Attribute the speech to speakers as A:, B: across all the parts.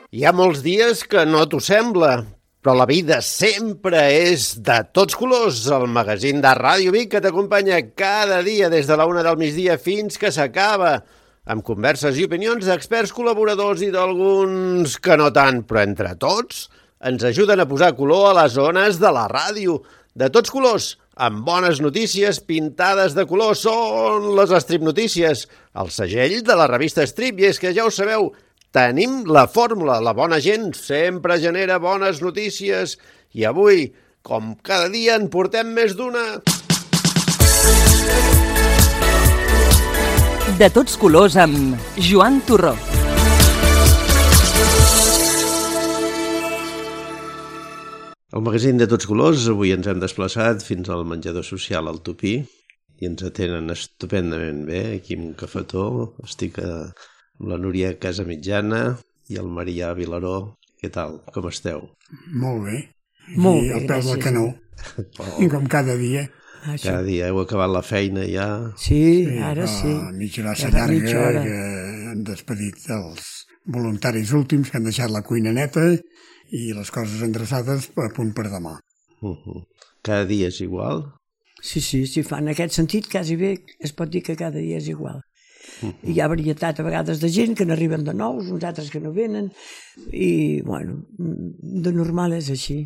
A: Hi ha molts dies que no t'ho sembla, però la vida sempre és de tots colors. El magazín de Ràdio Vic que t'acompanya cada dia des de la 1 del migdia fins que s'acaba, amb converses i opinions d'experts col·laboradors i d'alguns que no tant, però entre tots ens ajuden a posar color a les zones de la ràdio. De tots colors, amb bones notícies pintades de color, són les Strip Notícies, el segell de la revista Strip, i és que ja ho sabeu, tenim la fórmula, la bona gent sempre genera bones notícies i avui, com cada dia, en portem més d'una.
B: De tots colors amb Joan Torró.
A: Al magazín de tots colors avui ens hem desplaçat fins al menjador social al Tupí i ens atenen estupendament bé aquí amb un cafetó. Estic amb la Núria Casamitjana i el Marià Vilaró. Què tal? Com esteu?
C: Molt bé.
B: Molt bé,
C: al peu del canó. Com cada dia.
A: Cada dia heu acabat la feina ja.
B: Sí, ara sí.
C: Mitja hora llarga que han despedit els voluntaris últims que han deixat la cuina neta i les coses endreçades a punt per demà.
A: Cada dia és igual?
B: Sí, fa en aquest sentit quasi bé es pot dir que cada dia és igual. Hi ha varietat a vegades de gent que n'arriben de nous, uns altres que no venen i, bueno, de normal és així.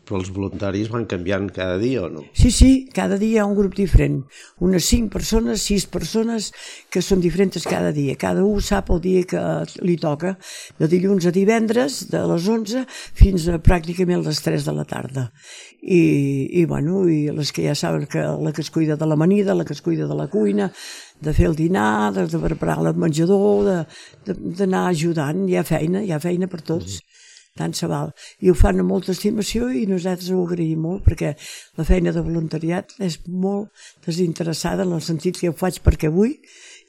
A: Però els voluntaris van canviant cada dia o no?
B: Sí, cada dia hi ha un grup diferent. Unes 5 persones, 6 persones que són diferents cada dia. Cada un sap el dia que li toca, de dilluns a divendres, de les 11 fins a pràcticament les 3 de la tarda. I les que ja saben que la que es cuida de l'amanida, la que es cuida de la cuina, de fer el dinar, de preparar el menjador, d'anar ajudant. Hi ha feina per tots. Tant se val. I ho fan amb molta estimació i nosaltres ho agraïm molt perquè la feina de voluntariat és molt desinteressada en el sentit que ho faig perquè vull,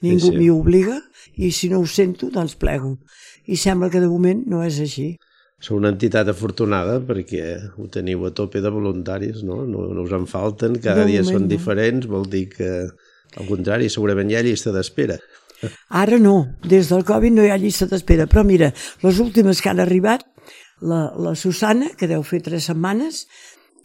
B: ningú m'hi obliga i si no ho sento doncs plego. I sembla que de moment no és així.
A: Sou una entitat afortunada perquè ho teniu a tope de voluntaris, no? No us en falten, cada dia són diferents, vol dir que al contrari, segurament hi ha llista d'espera.
B: Ara no, des del Covid no hi ha llista d'espera, però mira, les últimes que han arribat, la Susana, que deu fer 3 setmanes,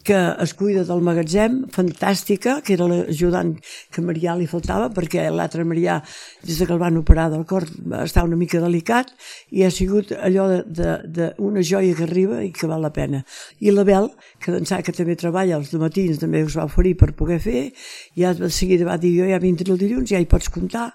B: que es cuida del magatzem, fantàstica, que era l'ajudant que a Marià li faltava, perquè l'altre Marià, des que el van operar del cor, està una mica delicat, i ha sigut allò d'una joia que arriba i que val la pena. I la Bel, que d'ençà que també treballa els matins, també us va oferir per poder fer, ja de seguida va dir, jo ja vindré el dilluns, ja hi pots comptar,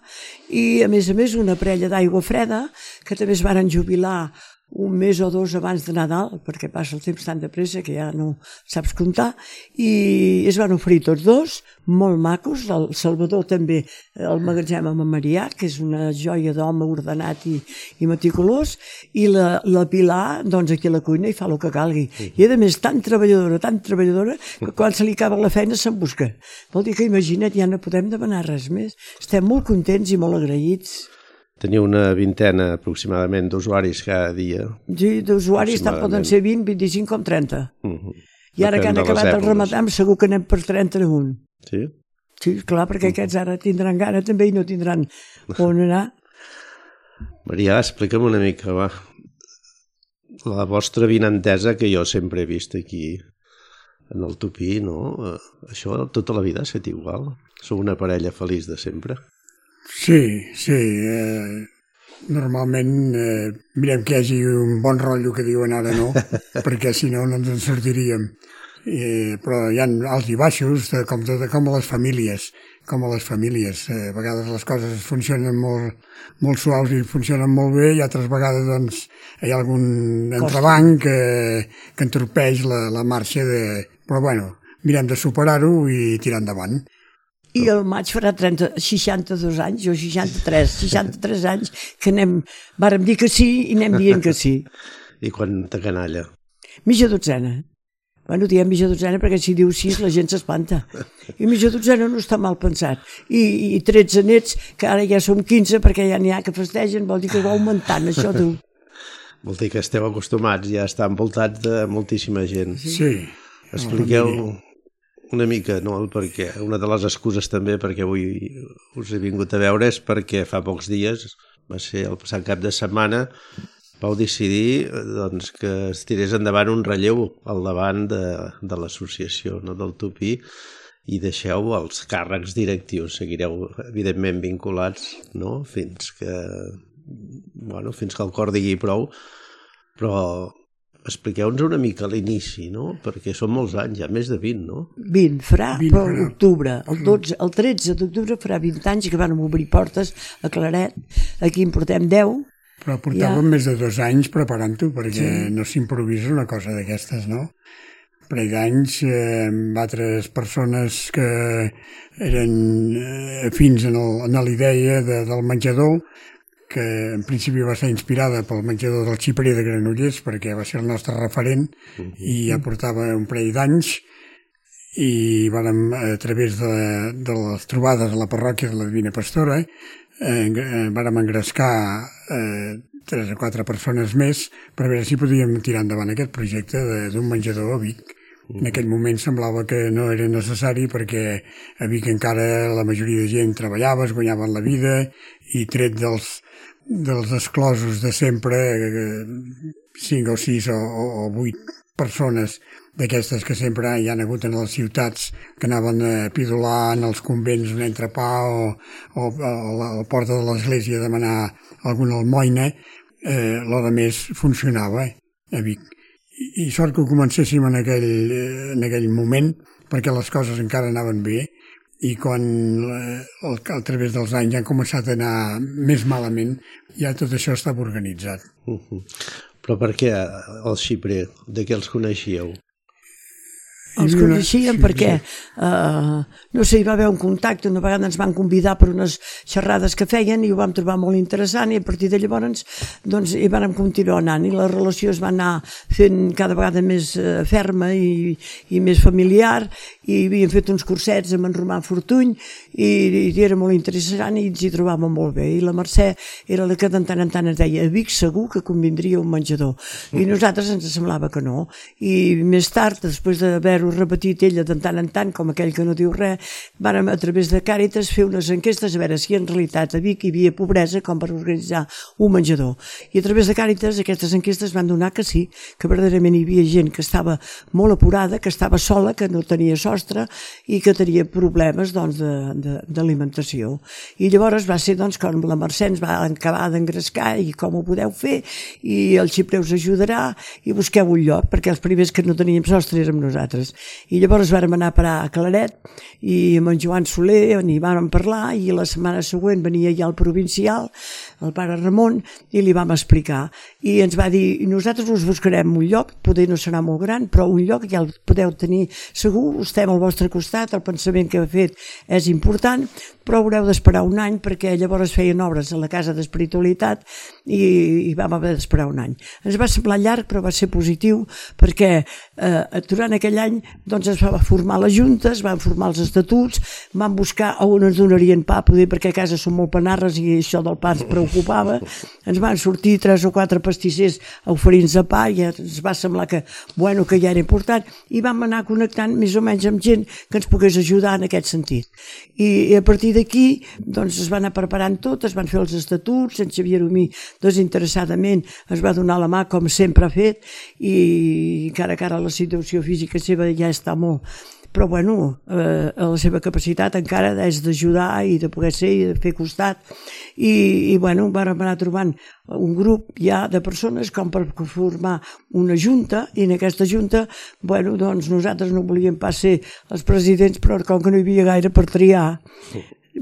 B: i a més una parella d'aigua freda, que també es varen jubilar un mes o 2 abans de Nadal, perquè passa el temps tan de pressa que ja no saps comptar, i es van oferir tots dos, molt macos, el Salvador també, el magatzem amb en Marià, que és una joia d'home ordenat i meticulós, i la Pilar, doncs aquí a la cuina i fa el que calgui. I a més tan treballadora, que quan se li acaba la feina se'n busca. Vol dir que imagina't, ja no podem demanar res més. Estem molt contents i molt agraïts.
A: Teniu una vintena aproximadament d'usuaris cada dia.
B: Sí, d'usuaris tant poden ser 20, 25 com 30. I ara que han acabat el Ramadan segur que anem per 31.
A: Sí?
B: Sí, clar, perquè aquests ara tindran gana també i no tindran on anar.
A: Marià, explica'm una mica, va. La vostra vinentesa que jo sempre he vist aquí en el Tupí, no? Això tota la vida ha estat igual? Sou una parella feliç de sempre?
C: Sí. Normalment mirem que hi hagi un bon rotllo que diuen ara no, perquè si no ens en sortiríem. Però hi ha alts i baixos, com a les famílies. A vegades les coses funcionen molt suaus i funcionen molt bé i altres vegades doncs, hi ha algun entrebanc que entorpeix la marxa. Però bueno, mirem de superar-ho i tirar endavant.
B: I el maig farà 62 anys, jo 63 anys, que vàrem dir que sí i anem dient que sí.
A: I quanta canalla?
B: Mitja dotzena. Bueno, diem mitja dotzena perquè si diu 6 la gent s'espanta. I mitja dotzena no està mal pensat. I 13 nets, que ara ja som 15 perquè ja n'hi ha que festegen, vol dir que va augmentant això, tu.
A: Vol dir que esteu acostumats ja a estar envoltats de moltíssima gent.
C: Sí.
A: Expliqueu una mica, no? Perquè una de les excuses també perquè avui us he vingut a veure és perquè fa pocs dies, va ser el passat cap de setmana, vau decidir doncs, que es tirés endavant un relleu al davant de l'associació, no, del Tupí, i deixeu els càrrecs directius, seguireu evidentment vinculats, no? fins que el cor digui prou, però expliqueu-nos una mica l'inici, no? Perquè són molts anys, ja més de 20, no?
B: 20, però l'octubre, el 13 d'octubre farà 20 anys que van obrir portes a Claret, aquí en portem 10.
C: Però portàvem més de 2 anys preparant-ho, perquè no s'improvisa una cosa d'aquestes, no? Un parell d'anys amb altres persones que eren afins en l'idea del menjador, que en principi va ser inspirada pel menjador del Xiprer de Granollers, perquè va ser el nostre referent i ja portava un parell d'anys, i vàrem, a través de les trobades a la parròquia de la Divina Pastora, vàrem engrescar 3 o 4 persones més per veure si podíem tirar endavant aquest projecte d'un menjador a Vic. En aquell moment semblava que no era necessari perquè a Vic encara la majoria de gent treballava, es guanyaven la vida, i tret dels exclosos de sempre, 5 o 6 o 8 persones d'aquestes que sempre hi han hagut en les ciutats, que anaven a pidolar en els convents un entrepà o a la porta de l'església a demanar alguna almoina, l'hora més funcionava a Vic. I sort que ho comencéssim en aquell moment, perquè les coses encara anaven bé, i quan a través dels anys han començat a anar més malament, ja tot això estava organitzat.
A: Però per què el Xiprer? De què els coneixíeu?
B: Els coneixíem perquè, no sé, hi va haver un contacte, una vegada ens van convidar per unes xerrades que feien i ho vam trobar molt interessant, i a partir de llavors doncs, hi vam continuar anant, i la relació es va anar fent cada vegada més ferma i més familiar, i havíem fet uns cursets amb en Romà Fortuny i era molt interessant i ens hi trobàvem molt bé, i la Mercè era la que de tant en tant ens deia: a Vic segur que convindria un menjador, i nosaltres ens semblava que no, i més tard, després d'haver-ho repetit ella de tant en tant, com aquell que no diu res, vàrem a través de Càritas fer unes enquestes a veure si en realitat a Vic hi havia pobresa com per organitzar un menjador, i a través de Càritas aquestes enquestes van donar que sí, que verdaderament hi havia gent que estava molt apurada, que estava sola, que no tenia sostre i que tenia problemes doncs, d'alimentació, i llavors va ser doncs, com la Mercè ens va acabar d'engrescar i com ho podeu fer, i el Xiprer us ajudarà i busqueu un lloc, perquè els primers que no teníem sostre érem nosaltres. I llavors vàrem anar a parar a Claret i amb en Joan Soler n'hi vàrem parlar, i la setmana següent venia ja el provincial, el pare Ramon, i li vam explicar, i ens va dir: nosaltres us buscarem un lloc, poder no serà molt gran, però un lloc ja el podeu tenir segur, estem al vostre costat, el pensament que heu fet és important, però haureu d'esperar un any, perquè llavors feien obres a la Casa d'Espiritualitat i vam haver d'esperar un any. Ens va semblar llarg, però va ser positiu, perquè durant aquell any doncs, es va formar la Junta, es van formar els estatuts, van buscar on ens donarien pa, poder, perquè a casa som molt panarres i això del pa ens preocupava, ens van sortir 3 o 4 pastissers a oferir-nos de pa, i ens va semblar que ja era important, i vam anar connectant més o menys amb gent que ens pogués ajudar en aquest sentit. I a partir d'aquí doncs, es va anar preparant tot, es van fer els estatuts, en Xavier Omí desinteressadament es va donar la mà com sempre ha fet, i encara que ara la situació física seva ja està molt, però bueno, la seva capacitat encara és d'ajudar i de poder ser i de fer costat, i bueno, vam anar trobant un grup ja de persones com per formar una junta, i en aquesta junta, bueno, doncs nosaltres no volíem pas ser els presidents, però com que no hi havia gaire per triar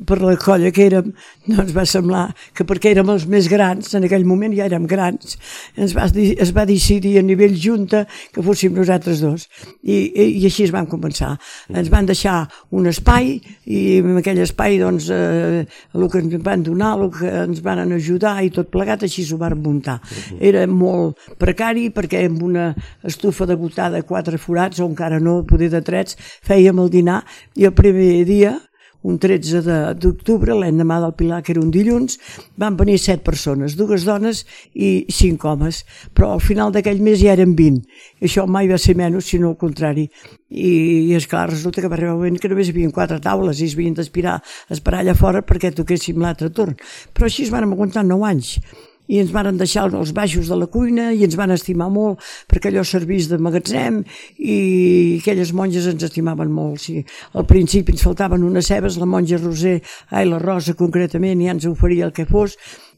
B: per la colla que érem, doncs va semblar que perquè érem els més grans, en aquell moment ja érem grans, es va decidir a nivell junta que fóssim nosaltres dos, i així es van començar. Ens van deixar un espai, i en aquell espai doncs, el que ens van donar, el que ens van ajudar i tot plegat, així s'ho van muntar. Era molt precari, perquè amb una estufa degotada, 4 forats, o encara no, poder de trets, fèiem el dinar, i el primer dia, un 13 d'octubre, l'endemà del Pilar, que era un dilluns, van venir 7 persones, 2 dones i 5 homes, però al final d'aquell mes ja eren 20. Això mai va ser menys, sinó al contrari. I esclar, resulta que va arribar un moment que només hi havia 4 taules i es havien d'esperar allà fora perquè toquéssim l'altre torn. Però així es van aguantar 9 anys. i ens van deixar els baixos de la cuina i ens van estimar molt perquè allò servís de magatzem i aquelles monges ens estimaven molt. Sí. Al principi ens faltaven unes cebes, la monja Roser, la Rosa concretament, ja ens oferia el que fos,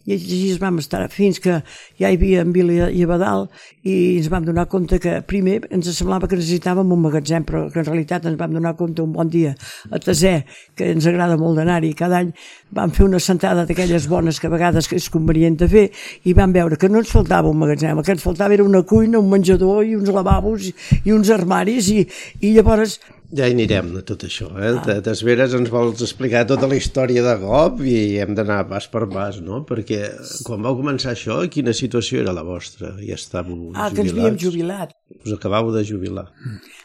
B: i així vam estar fins que ja hi havia en Vila i Abadal i ens vam donar compte que primer ens semblava que necessitàvem un magatzem, però que en realitat ens vam donar compte un bon dia a Taser, que ens agrada molt d'anar-hi cada any, vam fer una sentada d'aquelles bones que a vegades és convenient de fer i vam veure que no ens faltava un magatzem, el que ens faltava era una cuina, un menjador i uns lavabos i uns armaris i llavors
A: ja hi anirem de tot això, T'esperes, ens vols explicar tota la història de cop i hem d'anar pas per pas, no? Perquè quan vau començar això, quina situació era la vostra? Ja estàveu jubilats?
B: Que ens havíem jubilat.
A: Us acabau de jubilar.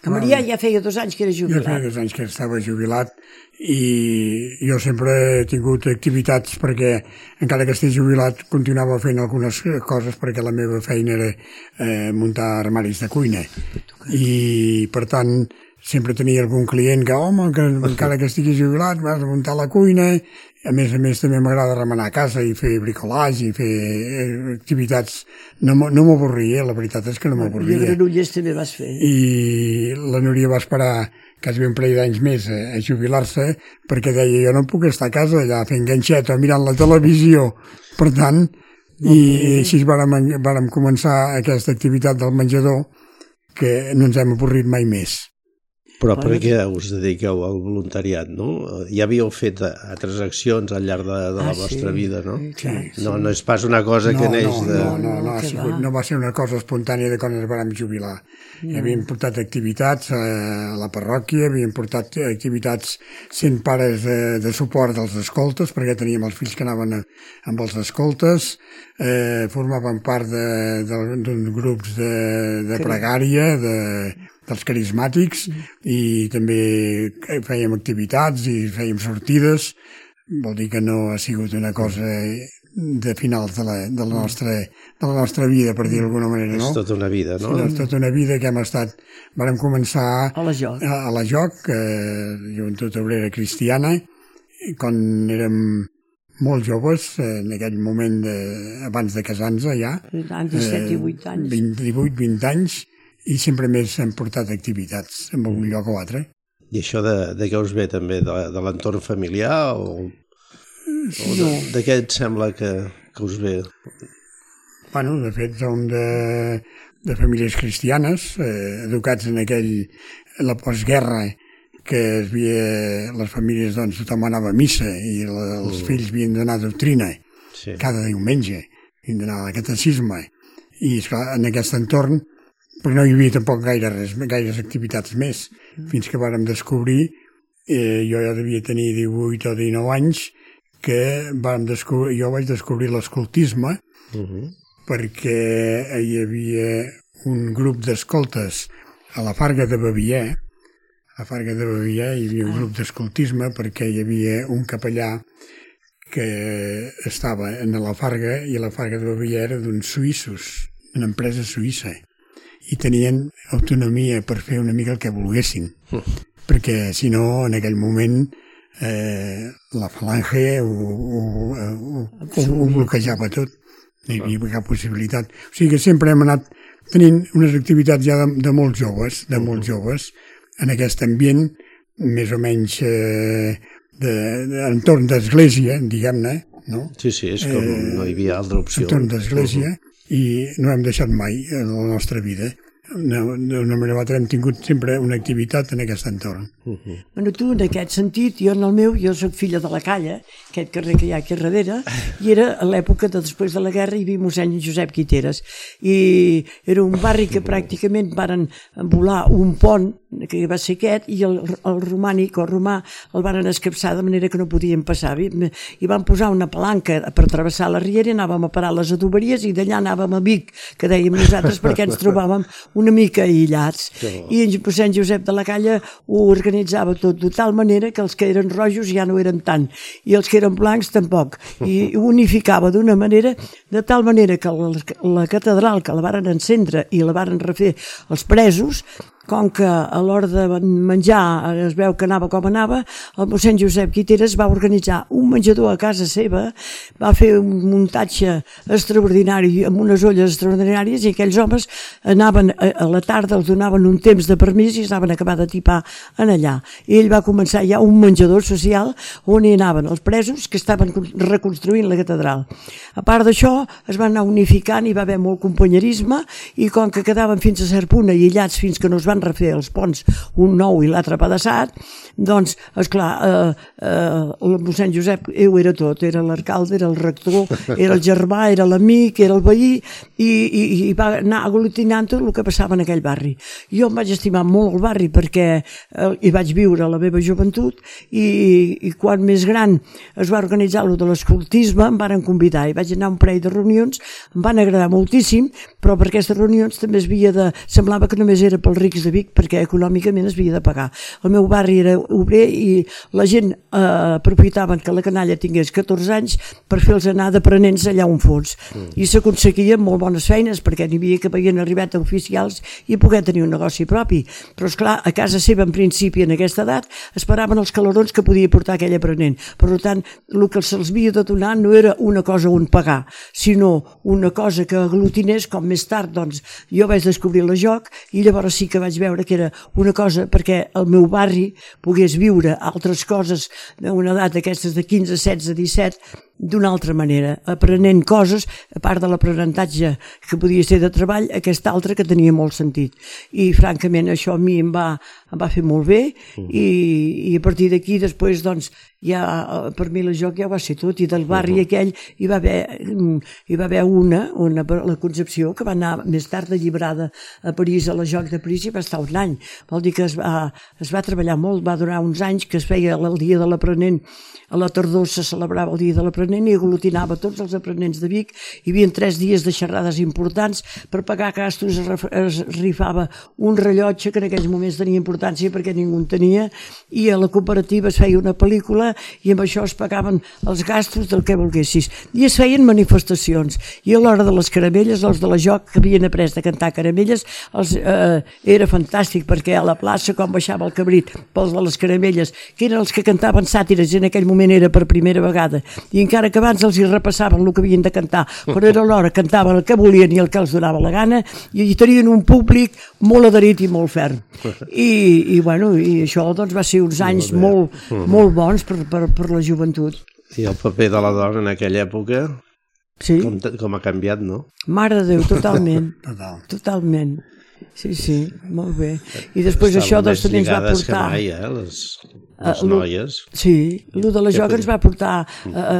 B: Que Marià ja feia 2 anys que era jubilat.
C: Jo feia 2 anys que estava jubilat i jo sempre he tingut activitats perquè, encara que estigui jubilat, continuava fent algunes coses perquè la meva feina era muntar armaris de cuina. I, per tant, sempre tenia algun client que, que encara que estigui jubilat, vas a muntar la cuina. A més també m'agrada remenar a casa i fer bricolage i fer activitats. No m'avorria, la veritat és que no m'avorria.
B: I Granollers també vas fer.
C: I la Núria va esperar quasi un parell d'anys més a jubilar-se perquè deia, jo no puc estar a casa allà fent ganxeta, mirant la televisió. Per tant, i així vàrem començar aquesta activitat del menjador que no ens hem avorrit mai més.
A: Però per què us dediqueu al voluntariat, no? Ja havíeu fet altres accions al llarg de la vostra vida, no?
B: Sí.
A: No és pas una cosa que neix de...
C: No va ser una cosa espontània de quan ens vam jubilar. Havíem portat activitats a la parròquia, havíem portat activitats sent pares de suport dels escoltes, perquè teníem els fills que anaven amb els escoltes, formaven part d'uns grups de pregària, dels carismàtics, i també fèiem activitats i fèiem sortides. Vol dir que no ha sigut una cosa de finals de la nostra vida, per dir d'alguna manera, no?
A: És tota una vida, no?
C: És tota una vida que hem estat... Vàrem començar
B: a
C: la JOC, Joventut Obrera Cristiana, quan érem molt joves, en aquell moment abans de casar-nos ja.
B: 17 i 8 anys.
C: 18-20 anys, i sempre més hem portat activitats en un lloc o altre.
A: I això de què us ve també? De l'entorn familiar o de què et sembla que us ve?
C: Bueno, de fet, som de famílies cristianes, educats en la postguerra, que les famílies, doncs, tothom anava a missa i els fills havien d'anar a doctrina cada diumenge, havien d'anar a catecisme. I, esclar, en aquest entorn, però no hi havia tampoc gaires activitats més, fins que vàrem descobrir, jo ja devia tenir 18 o 19 anys, que jo vaig descobrir l'escoltisme, perquè hi havia un grup d'escoltes a la Farga de Bavier. A la Farga de Bavier hi havia un grup d'escoltisme perquè hi havia un capellà que estava en la Farga, i la Farga de Bavier era d'uns suïssos, una empresa suïssa, i tenien autonomia per fer una mica el que volguessin, perquè si no, en aquell moment, la Falange ho bloquejava tot, no hi havia cap possibilitat. O sigui que sempre hem anat tenint unes activitats ja de molts joves, en aquest ambient, més o menys entorn d'església, diguem-ne, no?
A: Sí, és com no hi havia altra opció.
C: Entorn d'església, i no hem deixat mai en la nostra vida. D'una manera o altra hem tingut sempre una activitat en aquest entorn.
B: Bueno, tu, en aquest sentit, jo soc filla de la Calla, aquest carrer que hi ha aquí darrere, i era a l'època de després de la guerra hi havia mossèn Josep Guiteres, i era un barri que pràcticament varen volar un pont, que va ser aquest, i el romànic o romà el varen escapçar de manera que no podien passar, i van posar una palanca per travessar la riera, anàvem a parar les adoberies i d'allà anàvem a Vic, que dèiem nosaltres, perquè ens trobàvem una mica aïllats, i en mossèn Josep de la Calla ho organitzava tot de tal manera que els que eren rojos ja no eren tant, i els que eren blancs tampoc, i ho unificava d'una manera, de tal manera que la catedral, que la varen encendre i la varen refer els presos, com que a l'hora de menjar es veu que anava com anava, el mossèn Josep Guiteres va organitzar un menjador a casa seva, va fer un muntatge extraordinari amb unes olles extraordinàries, i aquells homes anaven a la tarda, els donaven un temps de permís i estaven acabar de tipar en allà. I ell va començar ja un menjador social on hi anaven els presos que estaven reconstruint la catedral. A part d'això, es van anar unificant i va haver molt companyerisme, i com que quedaven fins a cert punt aïllats fins que no es van refer els ponts, un nou i l'altre pedaçat, doncs, esclar, el mossèn Josep ho era tot, era l'alcalde, era el rector, era el germà, era l'amic, era el veí, i va anar aglutinant tot el que passava en aquell barri. Jo em vaig estimar molt el barri perquè hi vaig viure la meva joventut, i quan més gran es va organitzar el de l'escoltisme, em van convidar i vaig anar a un parell de reunions, em van agradar moltíssim, però per aquestes reunions també semblava que només era pels rics de Vic, perquè econòmicament es havia de pagar. El meu barri era obrer i la gent aprofitaven que la canalla tingués 14 anys per fer-los anar d'aprenents allà on fos. I s'aconseguien molt bones feines perquè n'hi havia que havien arribat a oficials i poder tenir un negoci propi. Però esclar, a casa seva en principi en aquesta edat esperaven els calorons que podia portar aquell aprenent. Per tant, el que se'ls havia de donar no era una cosa on pagar, sinó una cosa que aglutinés, com més tard doncs jo vaig descobrir la joc, i llavors sí que vaig veure que era una cosa perquè el meu barri pogués viure altres coses d'una edat d'aquestes de 15, 16, 17 d'una altra manera, aprenent coses, a part de l'aprenentatge que podia ser de treball, aquesta altra que tenia molt sentit. I francament això a mi em va fer molt bé, i a partir d'aquí després doncs ja per mi la joc ja va ser tot, i del barri aquell hi va haver una, la Concepció, que va anar més tard alliberada a París, a la joc de París, i va estar un any. Vol dir que es va treballar molt, va durar uns anys, que es feia el dia de l'aprenent, a la tardor se celebrava el dia de l'aprenent i aglutinava tots els aprenents de Vic. Hi havia 3 dies de xerrades importants. Per pagar gastos es rifava un rellotge que en aquells moments tenia importància perquè ningú en tenia, i a la cooperativa es feia una pel·lícula i amb això es pagaven els gastos del que volguessis. I es feien manifestacions, i a l'hora de les caramelles, els de la joc que havien après de cantar caramelles, era fantàstic, perquè a la plaça, quan baixava el cabrit pels de les caramelles, que eren els que cantaven sàtires, i en aquell moment era per primera vegada, i encara que abans els hi repassaven el que havien de cantar, però era l'hora, cantaven el que volien i el que els donava la gana, i tenien un públic molt adherit i molt ferm. I això doncs va ser uns anys molt bons per la joventut.
A: I el paper de la dona en aquella època,
B: sí,
A: com ha canviat, no?
B: Mare de Déu, totalment. Totalment. Sí, molt bé. I després això doncs també ens va portar...
A: Estaven més lligades que mai, les noies.
B: Sí, el de la joc ens va portar a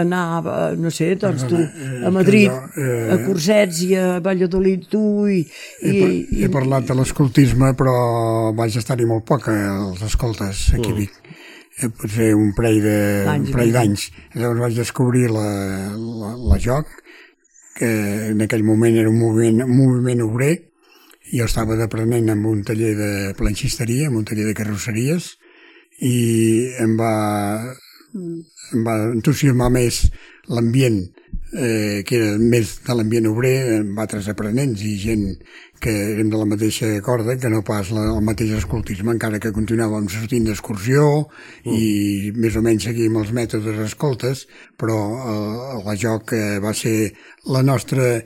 B: anar, no sé, doncs tu, a Madrid, a Cursets i a Valladolid, tu, i...
C: He parlat de l'escoltisme, però vaig estar-hi molt poc, als escoltes, aquí a Vic. Potser un parell d'anys. Llavors vaig descobrir la joc, que en aquell moment era un moviment obrer. Jo estava d'aprenent en un taller de planxisteria, en un taller de carrosseries, i em va entusiasmar més l'ambient, que era més de l'ambient obrer, amb altres aprenents i gent que érem de la mateixa corda, que no pas el mateix escoltisme, encara que continuàvem sortint d'excursió i més o menys seguíem els mètodes escoltes, però la joc va ser la nostra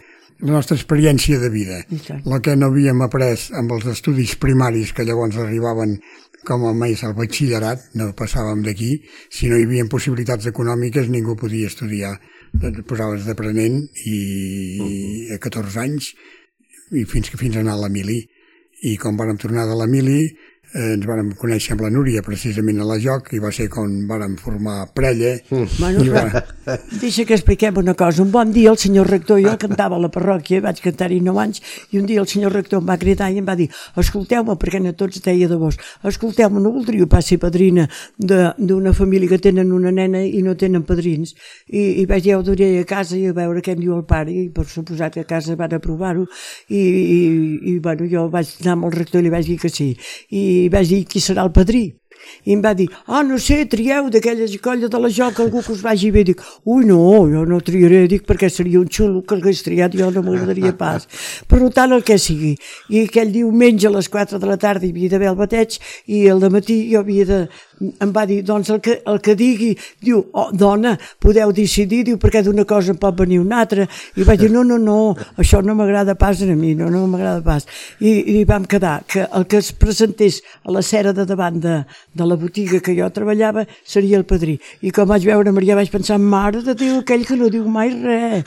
C: experiència de vida. La que no havíem après amb els estudis primaris, que llavors arribaven com a més al batxillerat, no passàvem d'aquí. Si no hi havia possibilitats econòmiques, ningú podia estudiar. Et posaves d'aprenent i a 14 anys, i fins a anar a la mili. I quan vàrem tornar de la mili, ens vàrem conèixer amb la Núria precisament a la joc, i va ser quan vàrem formar parella.
B: Deixa que expliquem una cosa. Un bon dia el senyor rector, jo cantava a la parròquia, vaig cantar-hi 9 anys, i un dia el senyor rector em va cridar i em va dir: escolteu-me, perquè a tots deia de vos, escolteu-me, no voldríeu pas ser padrina d'una família que tenen una nena i no tenen padrins? I vaig dir, ho duré a casa i a veure què em diu el pare, i per suposat que a casa van aprovar-ho, i jo vaig anar amb el rector i li vaig dir que sí, i vaig dir qui serà el padrí, I em va dir, no sé, trieu d'aquella colla de la joc algú que us vagi bé. Dic, ui, no, jo no triaré, dic, perquè seria un xulo que hagués triat, jo no m'agradaria pas. Per tant, el que sigui. I aquell diumenge a les 4 de la tarda hi havia d'haver el bateig i el dematí jo havia de... Em va dir, doncs el que digui, diu, dona, podeu decidir, diu, perquè d'una cosa en pot venir una altra. I vaig dir, no, això no m'agrada pas a mi, no m'agrada pas. I vam quedar que el que es presentés a la cera de davant de la botiga que jo treballava seria el padrí. I com vaig veure Maria vaig pensar, mare de Déu, aquell que no diu mai res.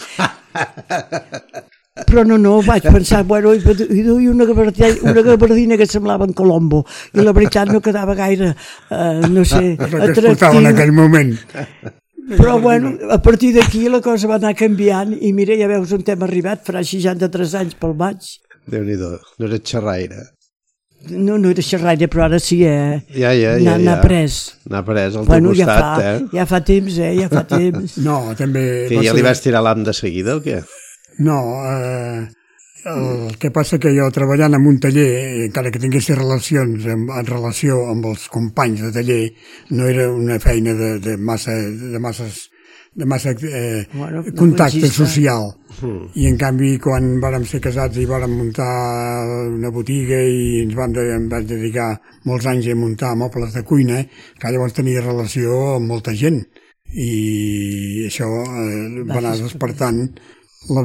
B: Però no, vaig pensar, bueno, i duia una gabardina que semblava en Colombo, i la veritat no quedava gaire, no sé,
C: atractiu. En aquell moment.
B: Però bueno, a partir d'aquí la cosa va anar canviant, i mira, ja veus on hem arribat, farà 63 anys pel maig.
A: Déu-n'hi-do, no eres xerraire.
B: No era xerraire, però ara sí,
A: Ja.
B: N'ha pres.
A: N'ha pres al teu costat,
B: ja fa temps, ja fa temps.
C: No, també...
A: Que ja li vas tirar l'am de seguida, o què?
C: No, el que passa que jo treballant en un taller, encara que tingués relacions en relació amb els companys de taller, no era una feina de massa contacte social. I en canvi quan vàrem ser casats i vàrem muntar una botiga i em vaig dedicar molts anys a muntar mobles de cuina, que llavors tenia relació amb molta gent i això va anar despertant el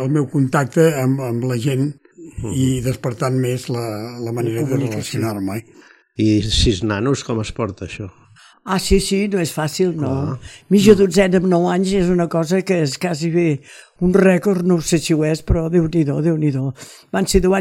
C: meu contacte amb la gent i despertant més la manera de relacionar-me.
A: I 6 nanos, com es porta això?
B: Sí, no és fàcil, no. Mitja dotzena amb 9 anys és una cosa que és quasi bé un rècord, no sé si ho és, però Déu-n'hi-do. Van ser 10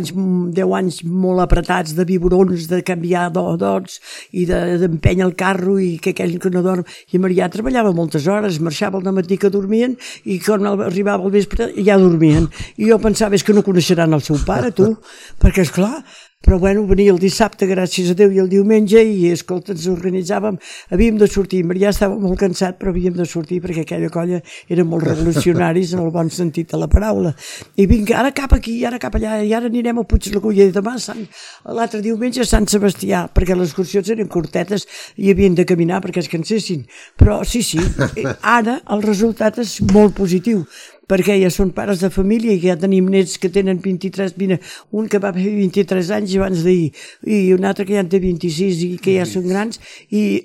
B: anys molt apretats de biberons, de canviar dots i d'empènyer el carro i que aquell que no dorm. I Marià treballava moltes hores, marxava al dematí que dormien i quan arribava al vespre ja dormien. I jo pensava, és que no coneixeran el seu pare, tu, perquè esclar... Però bueno, venia el dissabte, gràcies a Déu, i el diumenge, i escolta, ens organitzàvem, havíem de sortir, Marià estava molt cansat, però havíem de sortir perquè aquella colla eren molt revolucionaris en el bon sentit de la paraula. I vinga, ara cap aquí, ara cap allà, i ara anirem a Puiglagulla, i demà, l'altre diumenge a Sant Sebastià, perquè les excursions eren curtetes i havien de caminar perquè es cansessin. Però sí, ara el resultat és molt positiu, perquè ja són pares de família i ja tenim nets que tenen 23, un que va fer 23 anys abans d'ahir i un altre que ja en té 26 i que ja són grans i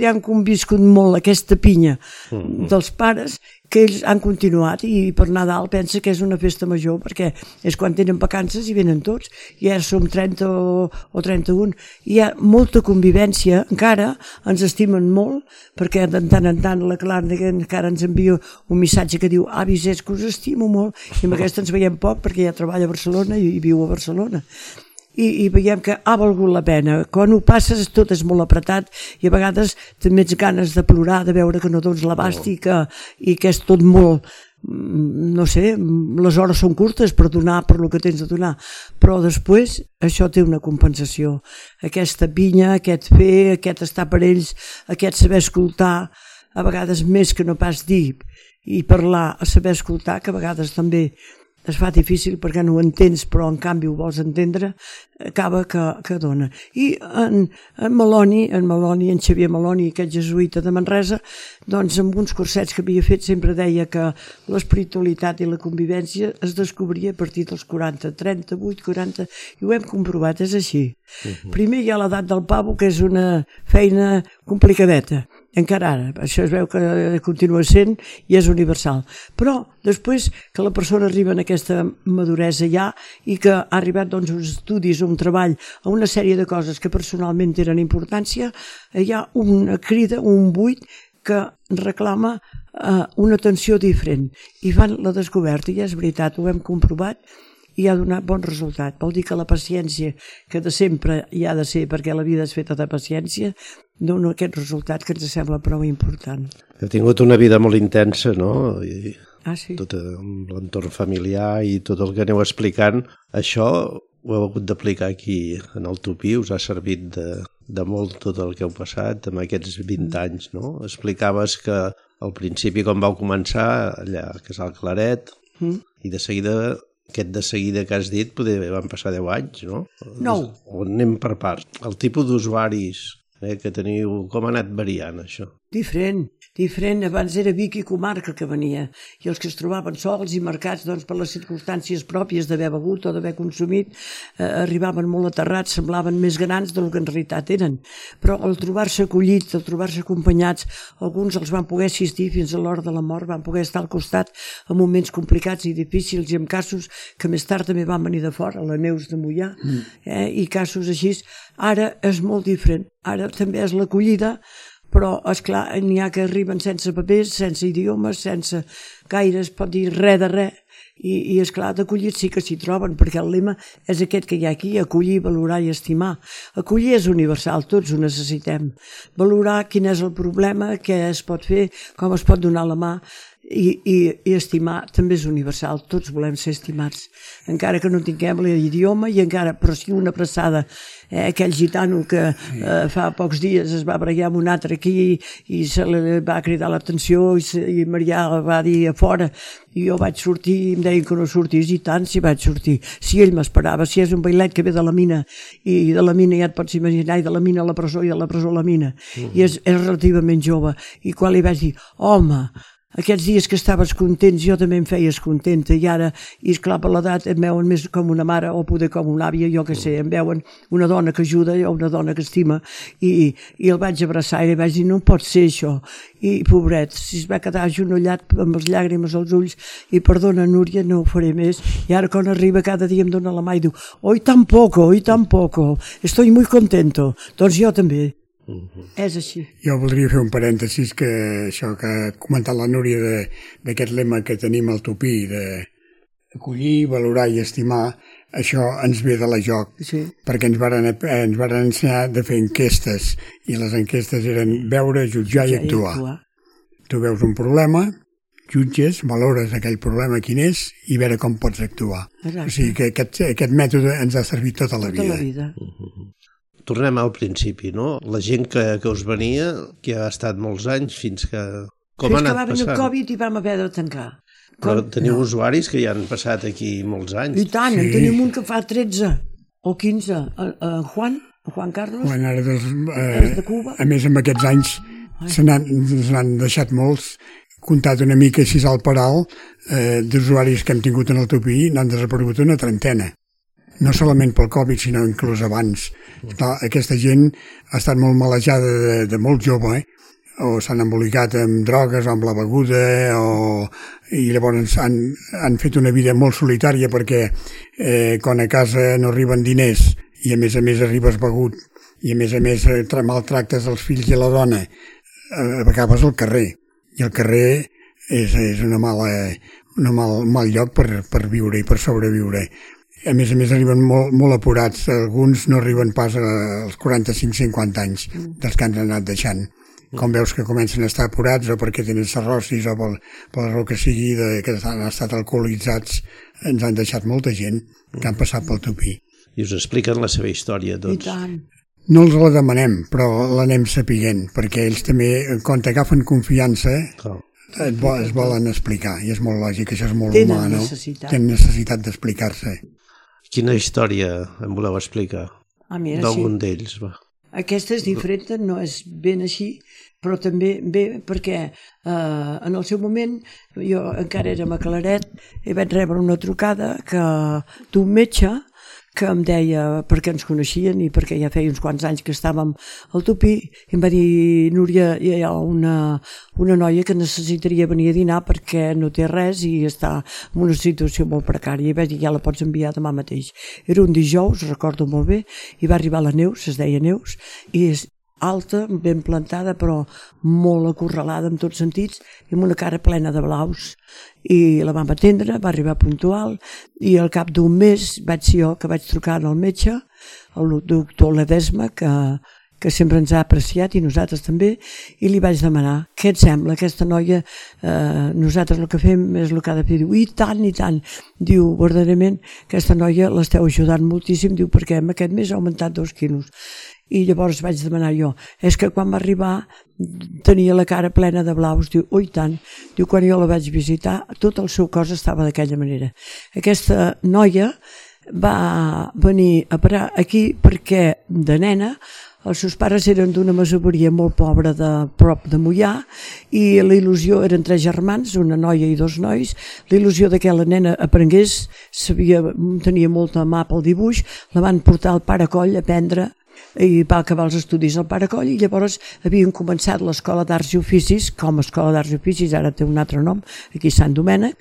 B: han conviscut molt aquesta pinya dels pares que ells han continuat i per Nadal pensa que és una festa major perquè és quan tenen vacances i venen tots i ara som 30 o 31 i hi ha molta convivència encara, ens estimen molt perquè de tant en tant la Clara encara ens envia un missatge que diu avis, és que us estimo molt i amb aquesta ens veiem poc perquè ja treballa a Barcelona i viu a Barcelona i veiem que ha valgut la pena. Quan ho passes tot és molt apretat i a vegades també ets ganes de plorar, de veure que no dones l'abast i que és tot molt, no sé, les hores són curtes per donar per el que tens de donar, però després això té una compensació. Aquesta pinya, aquest fer, aquest estar per ells, aquest saber escoltar, a vegades més que no pas dir i parlar, a saber escoltar, que a vegades també es fa difícil perquè no ho entens però en canvi ho vols entendre, acaba que dona. I en Meloni, en Xavier Meloni, aquest jesuïta de Manresa, doncs amb uns cursets que havia fet sempre deia que l'espiritualitat i la convivència es descobria a partir dels 40, 38, 40, i ho hem comprovat, és així. Primer hi ha l'edat del pavo, que és una feina complicadeta, encara ara, això es veu que continua sent i és universal, però després que la persona arriba en aquesta maduresa ja i que ha arribat doncs uns estudis, un treball, a una sèrie de coses que personalment tenen importància, hi ha una crida, un buit que reclama una atenció diferent i fan la descoberta i és veritat, ho hem comprovat i ha donat bon resultat. Vol dir que la paciència, que de sempre hi ha de ser perquè la vida és feta de paciència, dona aquest resultat que ens sembla prou important.
A: Heu tingut una vida molt intensa, no?
B: Sí.
A: Tot l'entorn familiar i tot el que aneu explicant, això ho heu hagut d'aplicar aquí en el Tupí, us ha servit de molt tot el que heu passat amb aquests 20 anys, no? Explicaves que al principi quan vau començar allà a Casal Claret i de seguida Aquest de seguida que has dit, poder van passar 10 anys, no?
B: 9.
A: O anem per parts. El tipus d'usuaris que teniu, com ha anat variant, això?
B: Diferent. Abans era Vic i comarca que venia, i els que es trobaven sols i marcats per les circumstàncies pròpies d'haver begut o d'haver consumit, arribaven molt aterrats, semblaven més grans del que en realitat eren. Però al trobar-se acollits, al trobar-se acompanyats, alguns els van poder assistir fins a l'hora de la mort, van poder estar al costat en moments complicats i difícils i en casos que més tard també van venir de fora, la Neus de Moià, i casos així. Ara és molt diferent. Ara també és l'acollida, però, esclar, n'hi ha que arriben sense papers, sense idiomes, sense gaire, es pot dir res de res, i esclar, d'acollir sí que s'hi troben, perquè el lema és aquest que hi ha aquí, acollir, valorar i estimar. Acollir és universal, tots ho necessitem. Valorar quin és el problema, què es pot fer, com es pot donar la mà, i estimar també és universal, tots volem ser estimats, encara que no tinguem l'idioma, però sí una abraçada. Aquell gitano que fa pocs dies es va barallar amb un altre aquí i se li va cridar l'atenció i Marià va dir a fora, i jo vaig sortir i em deien que no sortís, i tant si vaig sortir, si ell m'esperava, si és un bailet que ve de la mina, i de la mina ja et pots imaginar, i de la mina a la presó i de la presó a la mina, i és relativament jove, i quan li vaig dir, home, aquests dies que estaves contents, jo també em feies contenta, i ara, i esclar, per l'edat em veuen més com una mare o poder com una àvia, jo que sé, em veuen una dona que ajuda o una dona que estima, i el vaig abraçar i li vaig dir, no pot ser això, i pobret, si es va quedar agenollat amb les llàgrimes als ulls, i perdona Núria, no ho faré més, i ara quan arriba cada dia em dona la mà i diu, hoy tampoco, estoy muy contento, doncs jo també. És així.
C: Jo voldria fer un parèntesis que això que ha comentat la Núria d'aquest lema que tenim al Tupí d'acollir, valorar i estimar, això ens ve de la joc, perquè ens varen ensenyar de fer enquestes, i les enquestes eren veure, jutjar i actuar. Tu veus un problema, jutges, valores aquell problema quin és i veure com pots actuar. O sigui que aquest mètode ens ha servit tota la vida.
A: Tornem al principi, no? La gent que us venia, que ha estat molts anys fins que... Com ha anat passant? Fins que
B: va venir el Covid i vam haver de tancar.
A: Però teniu usuaris que ja han passat aquí molts anys.
B: I tant, en tenim un que fa 13 o 15. Juan Carlos, és de Cuba.
C: A més, amb aquests anys se n'han deixat molts. Comptat una mica així al paral, d'usuaris que hem tingut en el Tupí, n'han desaparegut una trentena. No solament pel Covid, sinó inclús abans. Aquesta gent ha estat molt malejada de molt jove, o s'han embolicat amb drogues o amb la beguda, i llavors han fet una vida molt solitària perquè quan a casa no arriben diners i a més arribes begut i a més maltractes els fills i la dona, acabes al carrer. I el carrer és un mal lloc per viure i per sobreviure. A més arriben molt apurats, alguns no arriben pas als 45-50 anys dels que han anat deixant. Com veus que comencen a estar apurats o perquè tenen cirrosis o per la raó que sigui que han estat alcoholitzats, ens han deixat molta gent que han passat pel Tupí.
A: I us expliquen la seva història, tots.
B: I tant.
C: No els la demanem, però l'anem sapiguent, perquè ells també, quan t'agafen confiança, es volen explicar, i és molt lògic, això és molt humà, no? Tenen necessitat d'explicar-se.
A: Quina història em voleu explicar? D'algun d'ells, va.
B: Aquesta és diferent, no és ben així, però també bé perquè en el seu moment, jo encara era a Claret, i vaig rebre una trucada d'un metge que em deia, perquè ens coneixien i perquè ja feia uns quants anys que estàvem al Tupí, i em va dir, Núria, hi ha una noia que necessitaria venir a dinar perquè no té res i està en una situació molt precària, i vaig dir, ja la pots enviar demà mateix. Era un dijous, recordo molt bé, i va arribar la Neus, es deia Neus, i és alta, ben plantada, però molt acorralada en tots sentits, i amb una cara plena de blaus. I la vam atendre, va arribar puntual, i al cap d'un mes vaig ser jo que vaig trucar al metge, el doctor Ledesma, que sempre ens ha apreciat, i nosaltres també, i li vaig demanar, què et sembla, aquesta noia, nosaltres el que fem és el que ha de fer, diu, i tant, diu, verdaderament, aquesta noia l'esteu ajudant moltíssim, diu, perquè aquest mes ha augmentat 2 quilos, I llavors vaig demanar jo, és que quan va arribar tenia la cara plena de blaus, diu, oi tant, diu, quan jo la vaig visitar tot el seu cos estava d'aquella manera. Aquesta noia va venir a parar aquí perquè de nena els seus pares eren d'una masoveria molt pobra de prop de Moià i la il·lusió, eren 3 germans, una noia i 2 nois, la il·lusió que la nena aprengués, tenia molta mà pel dibuix, la van portar al Pare Coll a aprendre i va acabar els estudis al Pare Coll i llavors havien començat l'Escola d'Arts i Oficis, com a Escola d'Arts i Oficis, ara té un altre nom, aquí a Sant Domènec,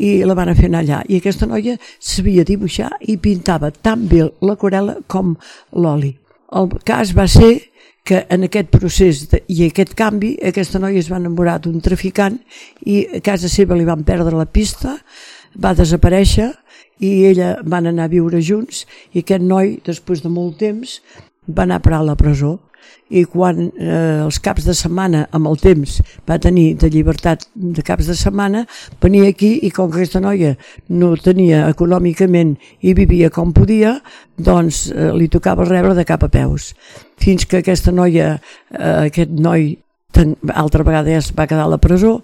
B: i la van fer anar allà. I aquesta noia sabia dibuixar i pintava tan bé l'aquarel·la com l'oli. El cas va ser que en aquest procés i aquest canvi aquesta noia es va enamorar d'un traficant i a casa seva li van perdre la pista, va desaparèixer i ella van anar a viure junts i aquest noi, després de molt temps, va anar a parar a la presó i quan els caps de setmana amb el temps va tenir de llibertat de caps de setmana, venia aquí i com que aquesta noia no tenia econòmicament i vivia com podia, doncs li tocava rebre de cap a peus. Fins que aquesta noia, aquest noi, altra vegada ja es va quedar a la presó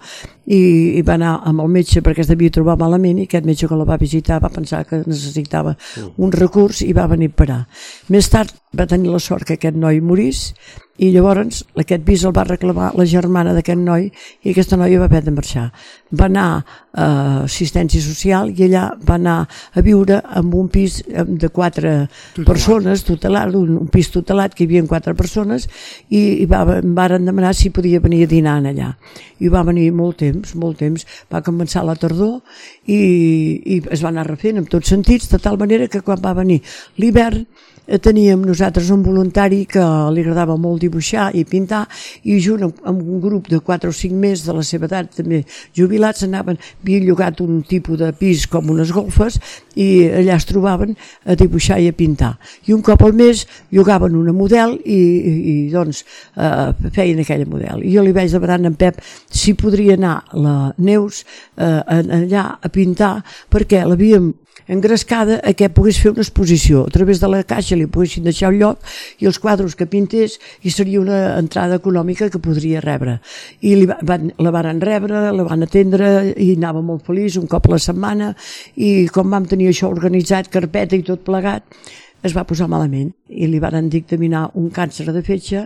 B: i va anar amb el metge perquè es devia trobar malament i aquest metge que la va visitar va pensar que necessitava un recurs i va venir a parar. Més tard va tenir la sort que aquest noi morís i llavors aquest pis el va reclamar la germana d'aquest noi i aquesta noia va haver de marxar. Va anar a assistència social i allà va anar a viure en un pis de 4 persones, tutelat, un pis tutelat que hi havia 4 persones i varen demanar si podia venir a dinar allà. I va venir molt temps, va començar la tardor i es va anar refent en tots sentits, de tal manera que quan va venir l'hivern teníem nosaltres un voluntari que li agradava molt dibuixar i pintar i junt amb un grup de 4 o 5 més de la seva edat també jubilats havien llogat un tipus de pis com unes golfes i allà es trobaven a dibuixar i a pintar i un cop al mes llogaven una model i doncs feien aquella model i jo li vaig demanar a en Pep si podria anar la Neus allà a pintar perquè l'havíem engrescada a que pogués fer una exposició a través de la caixa li poguessin deixar un lloc i els quadres que pintés i seria una entrada econòmica que podria rebre i la van rebre, la van atendre i anava molt feliç un cop a la setmana i com vam tenir això organitzat, carpeta i tot plegat es va posar malament i li van dictaminar un càncer de fetge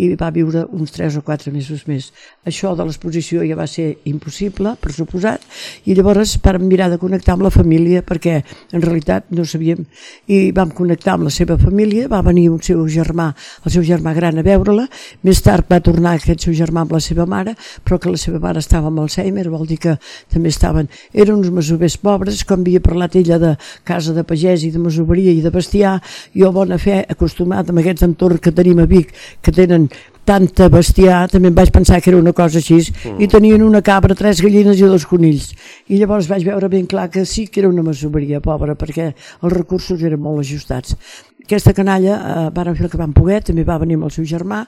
B: i va viure uns 3 o 4 mesos més. Això de l'exposició ja va ser impossible, per suposat, i llavors vam mirar de connectar amb la família perquè en realitat no sabíem i vam connectar amb la seva família, va venir el seu germà gran a veure-la, més tard va tornar aquest seu germà amb la seva mare, però que la seva mare estava amb Alzheimer, vol dir que també eren uns masovers pobres, com havia parlat ella de casa de pagès i de masoveria i de bestiar, jo bona fe acostumat amb aquests entorns que tenim a Vic que tenen tanta bestiar, també em vaig pensar que era una cosa així i tenien una cabra, 3 gallines i 2 conills i llavors vaig veure ben clar que sí que era una masoveria pobra perquè els recursos eren molt ajustats. Aquesta canalla van fer el que van poder, també va venir amb el seu germà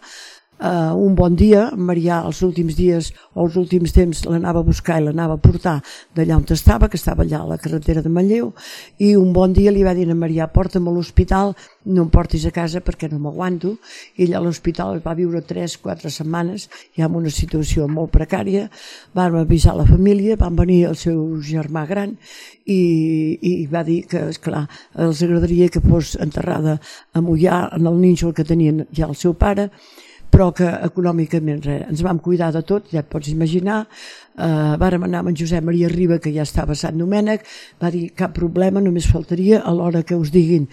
B: un bon dia, Marià els últims dies o els últims temps l'anava a buscar i l'anava a portar d'allà on estava, que estava allà a la carretera de Manlleu i un bon dia li va dir a Marià porta'm a l'hospital, no em portis a casa perquè no m'aguanto i allà a l'hospital va viure 3-4 setmanes ja en una situació molt precària, van avisar la família, van venir el seu germà gran i va dir que esclar, els agradaria que fos enterrada a Moià en el nínxol que tenien ja el seu pare però que econòmicament ens vam cuidar de tot, ja et pots imaginar, vàrem anar amb en Josep Maria Riba, que ja estava a Sant Domènec, va dir cap problema, només faltaria a l'hora que us diguin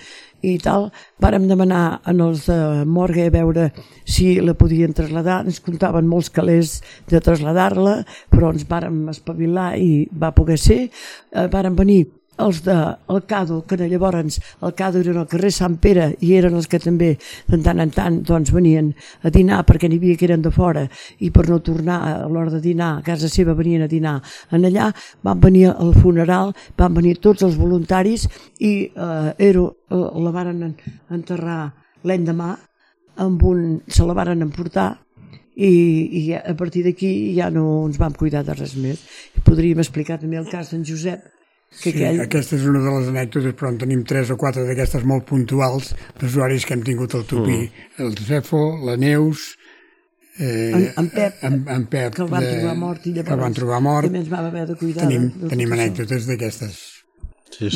B: i tal, vàrem demanar en els de Morgue a veure si la podien traslladar, ens comptaven molts calés de traslladar-la, però ens vàrem espavilar i va poder ser, vàrem venir els del Cado, que llavors el Cado era al carrer Sant Pere i eren els que també de tant en tant doncs, venien a dinar perquè n'hi havia que eren de fora i per no tornar a l'hora de dinar a casa seva venien a dinar en allà, van venir al funeral, van venir tots els voluntaris i la varen enterrar l'endemà se la varen emportar i a partir d'aquí ja no ens vam cuidar de res més. Podríem explicar també el cas d'en Josep
C: Sí, aquesta és una de les anècdotes, però en tenim 3 o 4 d'aquestes molt puntuals d'usuaris que hem tingut al Tupí. El Cefo, la Neus,
B: en Pep,
C: que
B: el van trobar mort i llavors també ens vam haver de cuidar.
C: Tenim anècdotes d'aquestes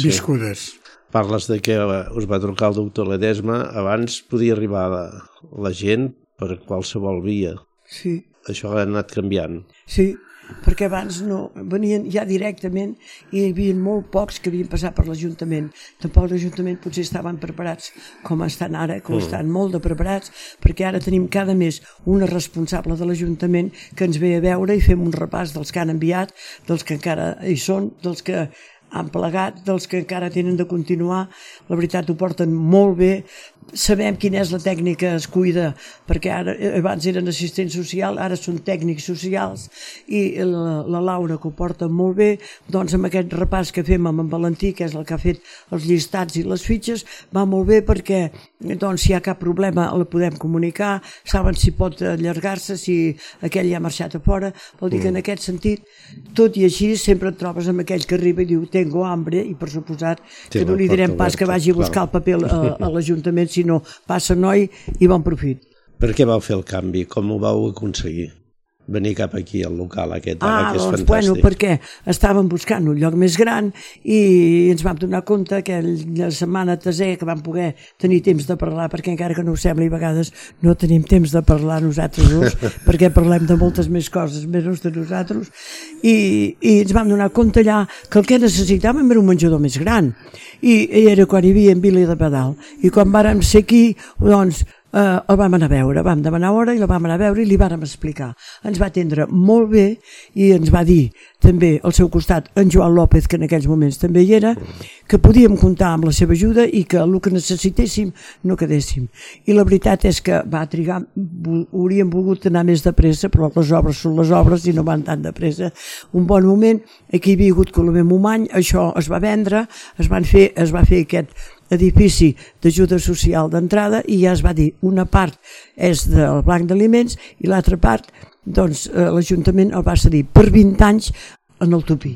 C: viscudes.
A: Parles de que us va trucar el doctor Ledesma. Abans podia arribar la gent per qualsevol via.
B: Sí.
A: Això ha anat canviant.
B: Sí, perquè abans no venien ja directament i hi havia molt pocs que havien passat per l'Ajuntament. Tampoc l'Ajuntament potser estaven preparats com estan ara, que estan molt de preparats, perquè ara tenim cada mes una responsable de l'Ajuntament que ens ve a veure i fem un repàs dels que han enviat, dels que encara hi són, dels que han plegat, dels que encara tenen de continuar. La veritat ho porten molt bé. Sabem quina és la tècnica es cuida, perquè abans eren assistents socials, ara són tècnics socials, i la Laura, que ho porta molt bé, doncs amb aquest repàs que fem amb en Valentí, que és el que ha fet els llistats i les fitxes, va molt bé perquè doncs, si hi ha cap problema la podem comunicar, saben si pot allargar-se, si aquell ja ha marxat a fora. Vol dir que en aquest sentit, tot i així, sempre et trobes amb aquell que arriba i diu tengo hambre, i per suposat que no li direm pas que vagi a buscar el paper a l'Ajuntament, sinó passa noi i bon profit.
A: Per què vau fer el canvi? Com ho vau aconseguir? Venir cap aquí, al local aquest, ara, que és
B: doncs,
A: fantàstic.
B: Bueno, perquè estàvem buscant un lloc més gran i ens vam donar compte que la setmana tercera que vam poder tenir temps de parlar, perquè encara que no ho sembli, a vegades no tenim temps de parlar nosaltres dos, perquè parlem de moltes més coses menys de nosaltres, i ens vam donar compte allà que el que necessitàvem era un menjador més gran, i era quan hi havia en Vila de Pedal, i quan vàrem ser aquí, doncs el vam anar a veure, vam demanar hora i la vam anar a veure i li vàrem explicar. Ens va atendre molt bé i ens va dir també al seu costat en Joan López, que en aquells moments també hi era, que podíem comptar amb la seva ajuda i que el que necessitéssim no quedéssim. I la veritat és que va trigar, hauríem volgut anar més de pressa, però les obres són les obres i no van tan de pressa. Un bon moment, aquí hi havia hagut Colomer Momany, això es va vendre, es va fer aquest edifici d'ajuda social d'entrada i ja es va dir, una part és del Banc d'Aliments i l'altra part, doncs, l'Ajuntament el va cedir per 20 anys en el Tupí.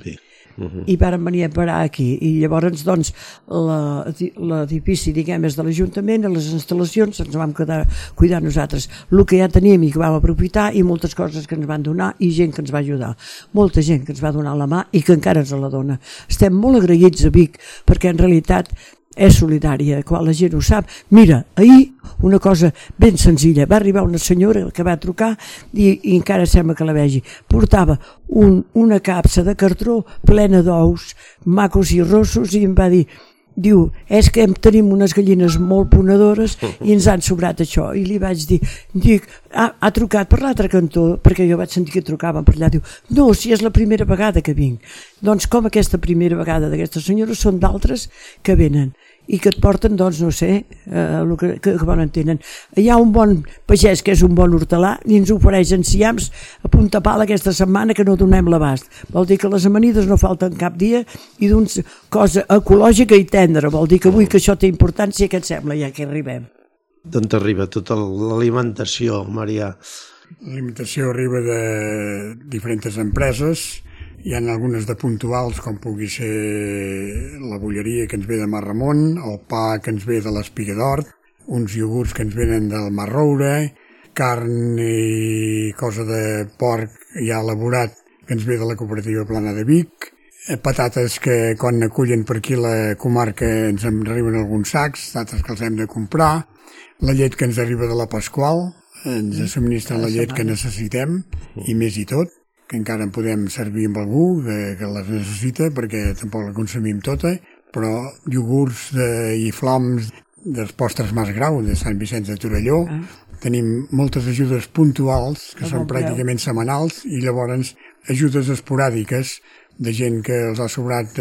B: I vàrem venir a parar aquí i llavors doncs l'edifici, diguem, és de l'Ajuntament, les instal·lacions ens vam quedar cuidar nosaltres el que ja teníem i que vam aprofitar, i moltes coses que ens van donar i gent que ens va ajudar, molta gent que ens va donar la mà i que encara ens la dona. Estem molt agraïts a Vic perquè en realitat és solidària, quan la gent ho sap. Mira, ahir una cosa ben senzilla, va arribar una senyora que va trucar i encara sembla que la vegi, portava una capsa de cartró plena d'ous macos i rossos i em va dir, diu, és que tenim unes gallines molt ponedores i ens han sobrat això. I li vaig dir, ha trucat per l'altre cantó, perquè jo vaig sentir que trucaven per allà. Diu, no, si és la primera vegada que vinc. Doncs com aquesta primera vegada d'aquesta senyora són d'altres que venen i que et porten, doncs, no sé, el que bon entenen. Hi ha un bon pagès que és un bon hortelà i ens ofereix enciams a punta pala aquesta setmana que no donem l'abast. Vol dir que les amanides no falten cap dia i d'una cosa ecològica i tendra. Vol dir que avui que això té importància, què et sembla ja que arribem?
A: D'on t'arriba tota l'alimentació, Marià?
C: L'alimentació arriba de diferents empreses. Hi ha algunes de puntuals, com pugui ser la bolleria que ens ve de Mar Ramon, el pa que ens ve de l'Espiga d'Hort, uns iogurts que ens venen del Mar Roure, carn i cosa de porc ja elaborat que ens ve de la cooperativa Plana de Vic, patates que quan acullen per aquí la comarca ens en arriben alguns sacs, d'altres que els hem de comprar, la llet que ens arriba de la Pasqual, ens subministren la llet que necessitem i més i tot, que encara en podem servir amb algú que les necessita perquè tampoc la consumim tota, però iogurts i floms dels postres Mas Grau de Sant Vicenç de Torelló. Tenim moltes ajudes puntuals que són pràcticament setmanals i llavors ajudes esporàdiques de gent que els ha sobrat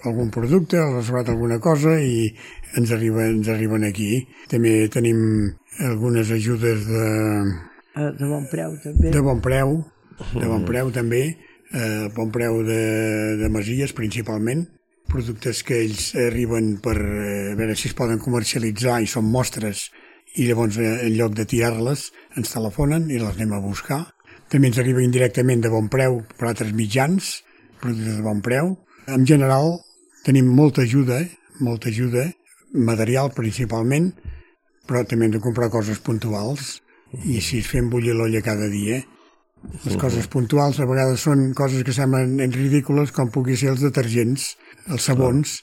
C: algun producte, els ha sobrat alguna cosa i ens arriben aquí. També tenim algunes ajudes
B: de bon preu també.
C: De bon preu també, bon preu de masies principalment, productes que ells arriben per veure si es poden comercialitzar i són mostres i llavors en lloc de tirar-les ens telefonen i les anem a buscar. També ens arriba indirectament de bon preu per altres mitjans, productes de bon preu. En general, tenim molta ajuda, material principalment, però també hem de comprar coses puntuals i així fem bullir l'olla cada dia. Les coses puntuals a vegades són coses que semblen ridícules, com pugui ser els detergents, els sabons,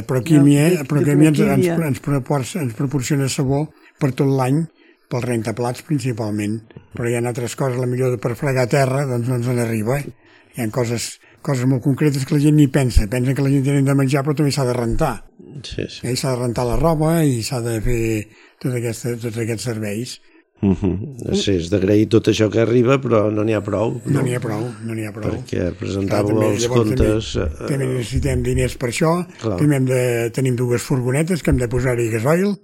C: però Químia ens proporciona sabó per tot l'any, pel rentaplats principalment, però hi ha altres coses, potser per fregar terra, doncs no ens n'arriba. Hi ha coses molt concretes que la gent ni pensa que la gent té de menjar, però també s'ha de rentar.
A: Sí.
C: S'ha de rentar la roba i s'ha de fer tots aquests serveis.
A: Sí, és d'agrair tot això que arriba, però no n'hi ha prou.
C: No n'hi ha prou.
A: Perquè presentàveu els comptes...
C: També necessitem diners per això, tenim 2 furgonetes que hem de posar-hi gasoil,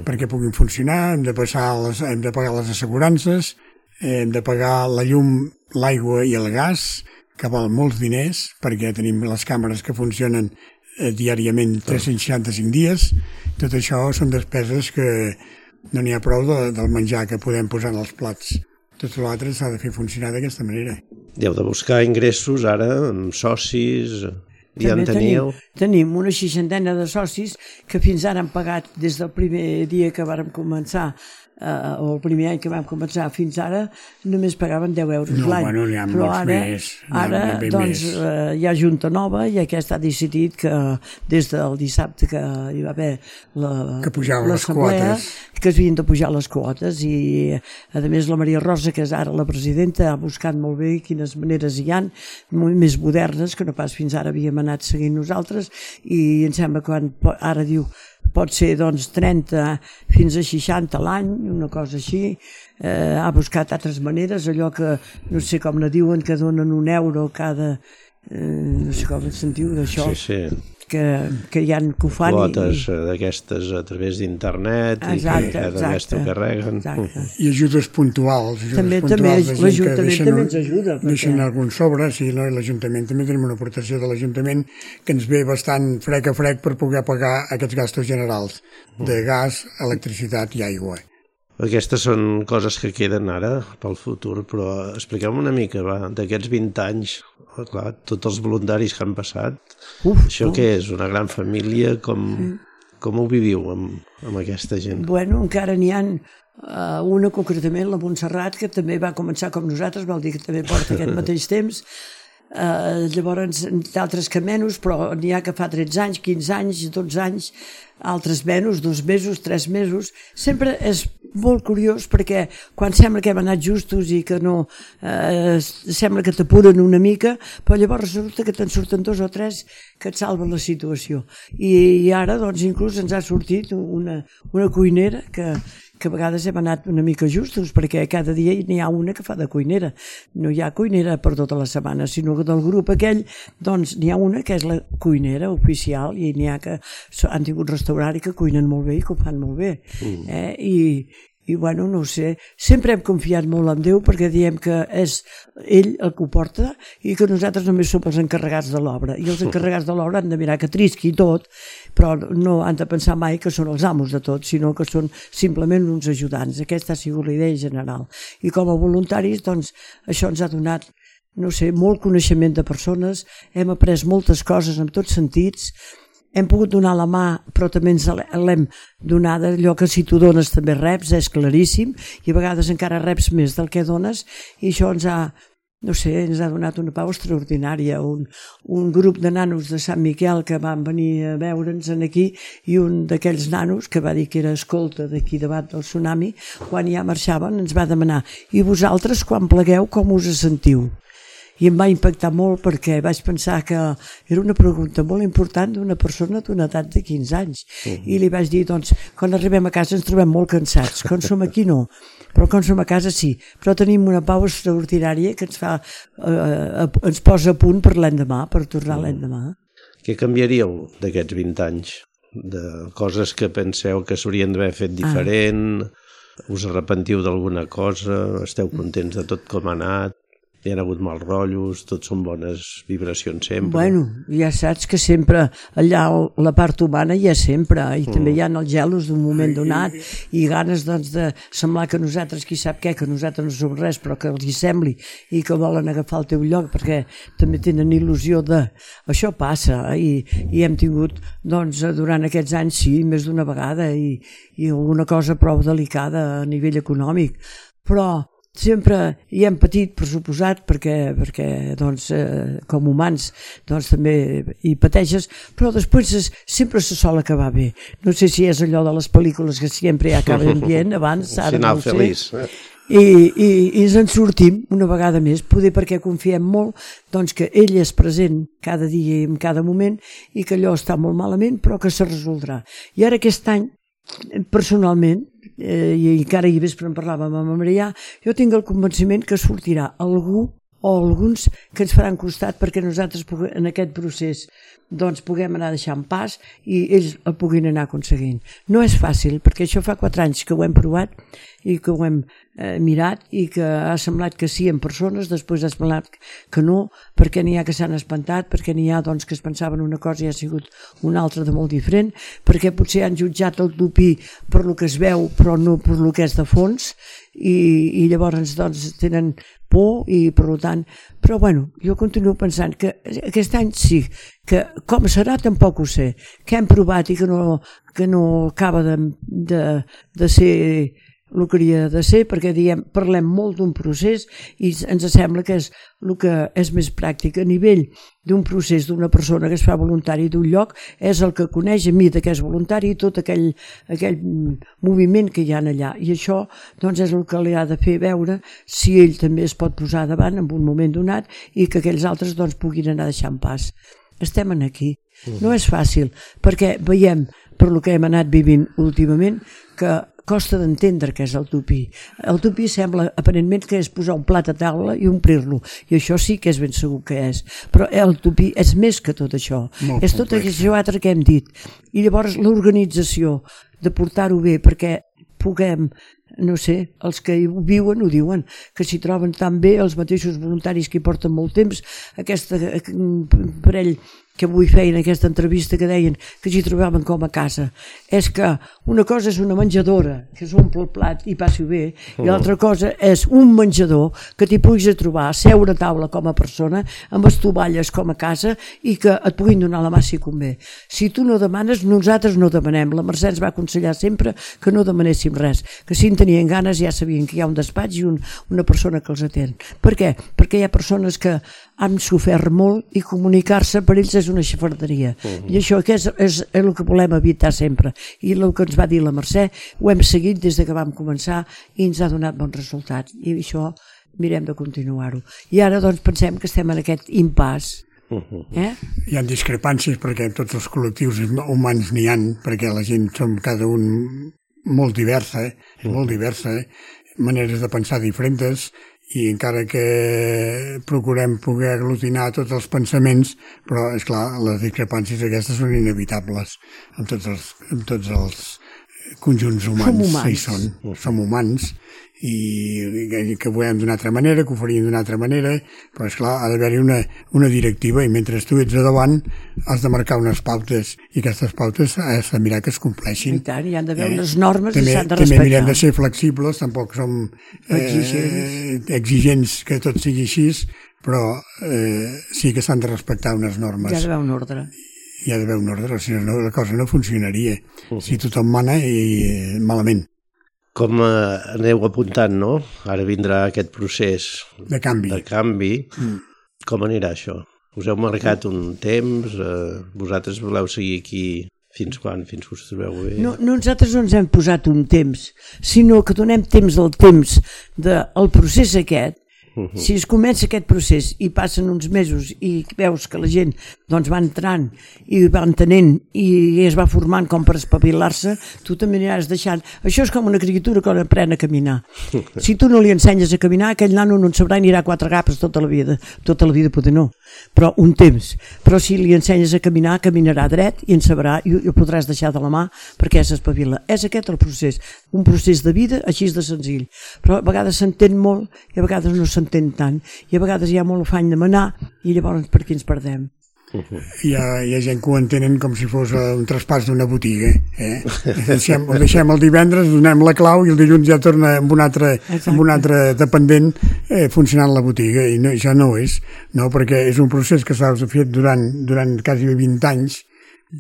C: perquè puguin funcionar, hem de pagar les assegurances, hem de pagar la llum, l'aigua i el gas, que val molts diners, perquè tenim les càmeres que funcionen diàriament 365 dies. Tot això són despeses que no n'hi ha prou del menjar que podem posar en els plats. Tot l'altre s'ha de fer funcionar d'aquesta manera.
A: Heu de buscar ingressos ara amb socis... Ja en teníeu?
B: Tenim una 60 de socis que fins ara han pagat des del primer dia que vàrem començar o el primer any que vam començar fins ara només pagaven 10 euros l'any.
C: Bueno, n'hi ha molts més.
B: Ara doncs hi ha junta nova i aquesta ha decidit que des del dissabte que hi va haver l'assemblea que s'havien de pujar les quotes i a més la Maria Rosa, que és ara la presidenta, ha buscat molt bé quines maneres hi han, molt més modernes que no pas fins ara havíem anat seguint nosaltres, i em sembla que ara diu pot ser doncs 30 fins a 60 l'any, una cosa així. Ha buscat altres maneres, allò que no sé com ne diuen, que donen €1 cada... no sé com en sentiu d'això.
A: Sí.
B: Que hi ha que ho fan.
A: Quotes d'aquestes a través d'internet i que cada mes t'ho carreguen.
C: I ajudes puntuals.
B: També l'Ajuntament també ens ajuda.
C: Deixen algun sobre, sí, no? I l'Ajuntament també tenim una aportació de l'Ajuntament que ens ve bastant frec a frec per poder pagar aquests gastos generals de gas, electricitat i aigua.
A: Aquestes són coses que queden ara pel futur, però expliquem una mica, d'aquests 20 anys, clar, tots els voluntaris que han passat, això què és? Una gran família? Com ho viviu amb aquesta gent?
B: Bueno, encara n'hi ha una concretament, la Montserrat, que també va començar com nosaltres, vol dir que també porta aquest mateix temps. Llavors d'altres que menys, però n'hi ha que fa 13 anys, 15 anys, 12 anys, altres menys, 2 mesos, 3 mesos. Sempre és molt curiós perquè quan sembla que hem anat justos i que no sembla que t'apuren una mica, però llavors resulta que te'n surten 2 o 3 que et salven la situació. I ara doncs inclús ens ha sortit una cuinera que a vegades hem anat una mica justos, perquè cada dia n'hi ha una que fa de cuinera. No hi ha cuinera per tota la setmana, sinó que del grup aquell doncs n'hi ha una que és la cuinera oficial i n'hi ha que han tingut restaurant i que cuinen molt bé i que ho fan molt bé. I bueno, no ho sé, sempre hem confiat molt en Déu perquè diem que és ell el que ho porta i que nosaltres només som els encarregats de l'obra, i els encarregats de l'obra han de mirar que trisqui tot, però no han de pensar mai que són els amos de tot, sinó que són simplement uns ajudants. Aquesta ha sigut la idea general. I com a voluntaris, doncs, això ens ha donat, no sé, molt coneixement de persones, hem après moltes coses en tots sentits, hem pogut donar la mà, però també ens l'hem donada, allò que si tu dones també reps, és claríssim, i a vegades encara reps més del que dones, i això ens ha, no sé, ens ha donat una pau extraordinària. Un grup de nanos de Sant Miquel que van venir a veure'ns aquí, i un d'aquells nanos, que va dir que era escolta d'aquí davant del tsunami, quan ja marxaven ens va demanar: i vosaltres quan plegueu com us sentiu? I em va impactar molt perquè vaig pensar que era una pregunta molt important d'una persona d'una edat de 15 anys. I li vaig dir, doncs, quan arribem a casa ens trobem molt cansats, quan som aquí no, però quan som a casa sí, però tenim una pau extraordinària que ens posa a punt per l'endemà, per tornar l'endemà.
A: Què canviaríeu d'aquests 20 anys? De coses que penseu que s'haurien d'haver fet diferent? Us arrepentiu d'alguna cosa? Esteu contents de tot com ha anat? hi ha hagut mals rotllos, tots són bones vibracions sempre.
B: Bueno, ja saps que sempre allà la part humana hi ha sempre, i també hi ha els gelos d'un moment donat i ganes doncs de semblar que nosaltres, qui sap què, que nosaltres no som res, però que els hi sembli i que volen agafar el teu lloc perquè també tenen il·lusió de... Això passa i hem tingut doncs durant aquests anys sí, més d'una vegada i alguna cosa prou delicada a nivell econòmic, però sempre hi hem patit, per suposat, perquè doncs, com humans doncs, també hi pateixes, però després sempre se sol acabar bé. No sé si és allò de les pel·lícules que sempre ja acaben bien, abans, ara no ho sé.
A: Feliç.
B: I ens en sortim una vegada més, poder perquè confiem molt doncs, que ell és present cada dia i en cada moment i que allò està molt malament, però que se resoldrà. I ara aquest any, personalment, i encara ahir vespre en parlàvem amb Marià, jo tinc el convenciment que sortirà algú o alguns que ens faran costat perquè nosaltres en aquest procés doncs puguem anar deixant pas i ells el puguin anar aconseguint. No és fàcil, perquè això fa 4 anys que ho hem provat i que ho hem mirat i que ha semblat que sí en persones, després ha semblat que no, perquè n'hi ha que s'han espantat, perquè n'hi ha doncs, que es pensaven una cosa i ha sigut una altra de molt diferent, perquè potser han jutjat el tupí per lo que es veu però no per lo que és de fons i llavors doncs, tenen por i per tant, però bueno, jo continuo pensant que aquest any sí, que com serà tampoc ho sé, que hem provat i que no acaba de ser el que hauria de ser, perquè parlem molt d'un procés i ens sembla que és el que és més pràctic a nivell d'un procés d'una persona que es fa voluntari d'un lloc, és el que coneix a mi de què és voluntari i tot aquell moviment que hi ha allà, i això doncs és el que li ha de fer veure si ell també es pot posar davant en un moment donat i que aquells altres doncs puguin anar deixant pas. Estem aquí. No és fàcil, perquè veiem per lo que hem anat vivint últimament que costa d'entendre què és el tupí. El tupí sembla aparentment que és posar un plat a taula i omplir-lo, i això sí que és ben segur que és, però el tupí és més que tot això, és tot això altre que hem dit, i llavors l'organització de portar-ho bé perquè puguem, no sé, els que hi viuen ho diuen, que s'hi troben tan bé els mateixos voluntaris que hi porten molt temps, aquest parell que avui feien aquesta entrevista que deien que s'hi trobaven com a casa. És que una cosa és una menjadora, que s'omple el plat i passi-ho bé, i l'altra cosa és un menjador que t'hi puguis trobar, seure a taula com a persona, amb estovalles com a casa i que et puguin donar la mà si convé. Si tu no demanes, nosaltres no demanem. La Mercè ens va aconsellar sempre que no demanéssim res, que si en tenien ganes ja sabien que hi ha un despatx i una persona que els atén. Per què? Perquè hi ha persones que han sofert molt i comunicar-se per ells és una xafarderia. I això és el que volem evitar sempre. I el que ens va dir la Mercè ho hem seguit des que vam començar i ens ha donat bons resultats. I això mirem de continuar-ho. I ara doncs pensem que estem en aquest impàs.
C: Hi ha discrepàncies perquè en tots els col·lectius humans n'hi ha, perquè la gent som cada un molt diversa, maneres de pensar diferents, i encara que procurem poder aglutinar tots els pensaments, però, esclar, les discrepàncies aquestes són inevitables en tots els conjunts humans. Som humans i que ho veiem d'una altra manera, que ho faríem d'una altra manera, però esclar, ha d'haver-hi una directiva i mentre tu ets a davant has de marcar unes pautes i aquestes pautes has de mirar que es compleixin.
B: I tant, hi han d'haver unes normes que s'han de respectar.
C: També mirem de ser flexibles, tampoc som exigents que tot sigui així, però sí que s'han de respectar unes normes.
B: Hi ha d'haver un ordre.
C: Hi ha d'haver un ordre, si no la cosa no funcionaria. Si tothom mana i malament.
A: Com aneu apuntant, no? Ara vindrà aquest procés
C: de canvi.
A: Com anirà això? Us heu marcat un temps? Vosaltres voleu seguir aquí fins quan? Fins que us trobeu bé?
B: No, nosaltres no ens hem posat un temps, sinó que donem temps al temps del procés aquest. Si es comença aquest procés i passen uns mesos i veus que la gent doncs va entrant i va entenent i es va formant com per espavilar-se, tu també aniràs deixant. Això és com una criatura que aprèn a caminar. Si tu no li ensenyes a caminar, aquell nano no en sabrà i anirà a 4 gapes tota la vida poder no, però un temps. Però si li ensenyes a caminar, caminarà dret i en sabrà i ho podràs deixar de la mà perquè s'espavila. És aquest el procés, un procés de vida així de senzill, però a vegades s'entén molt i a vegades no s'entén tant, i a vegades hi ha molt afany de manar i llavors per aquí ens perdem.
C: Hi ha gent que ho entenen com si fos un traspàs d'una botiga. Ho deixem el divendres, donem la clau i el dilluns ja torna amb un altre dependent funcionant la botiga, i no, això no és, no, perquè és un procés que s'ha fet durant quasi 20 anys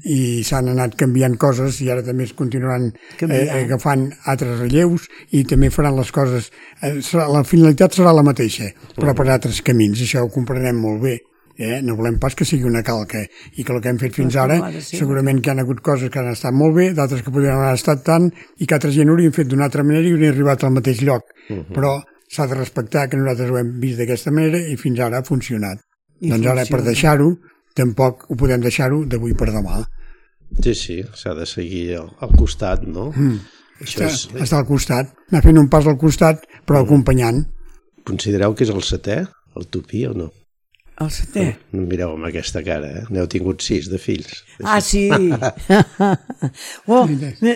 C: i s'han anat canviant coses i ara també es continuaran agafant altres relleus i també faran les coses, la finalitat serà la mateixa però per altres camins, això ho comprenem molt bé. No volem pas que sigui una calca i que el que hem fet fins ara segurament que hi ha hagut coses que han estat molt bé, d'altres que podrien haver estat tant i que altra gent ho haurien fet d'una altra manera i haurien arribat al mateix lloc, però s'ha de respectar que nosaltres ho hem vist d'aquesta manera i fins ara ha funcionat. Doncs ara per deixar-ho tampoc ho podem deixar-ho d'avui per demà.
A: Sí, s'ha de seguir al costat, no?
C: Estar al costat, anar fent un pas al costat però acompanyant.
A: Considereu que és el 7è, el Tupí, o no?
B: El 7è?
A: No em mireu amb aquesta cara, N'heu tingut 6 de fills.
B: Ah, sí!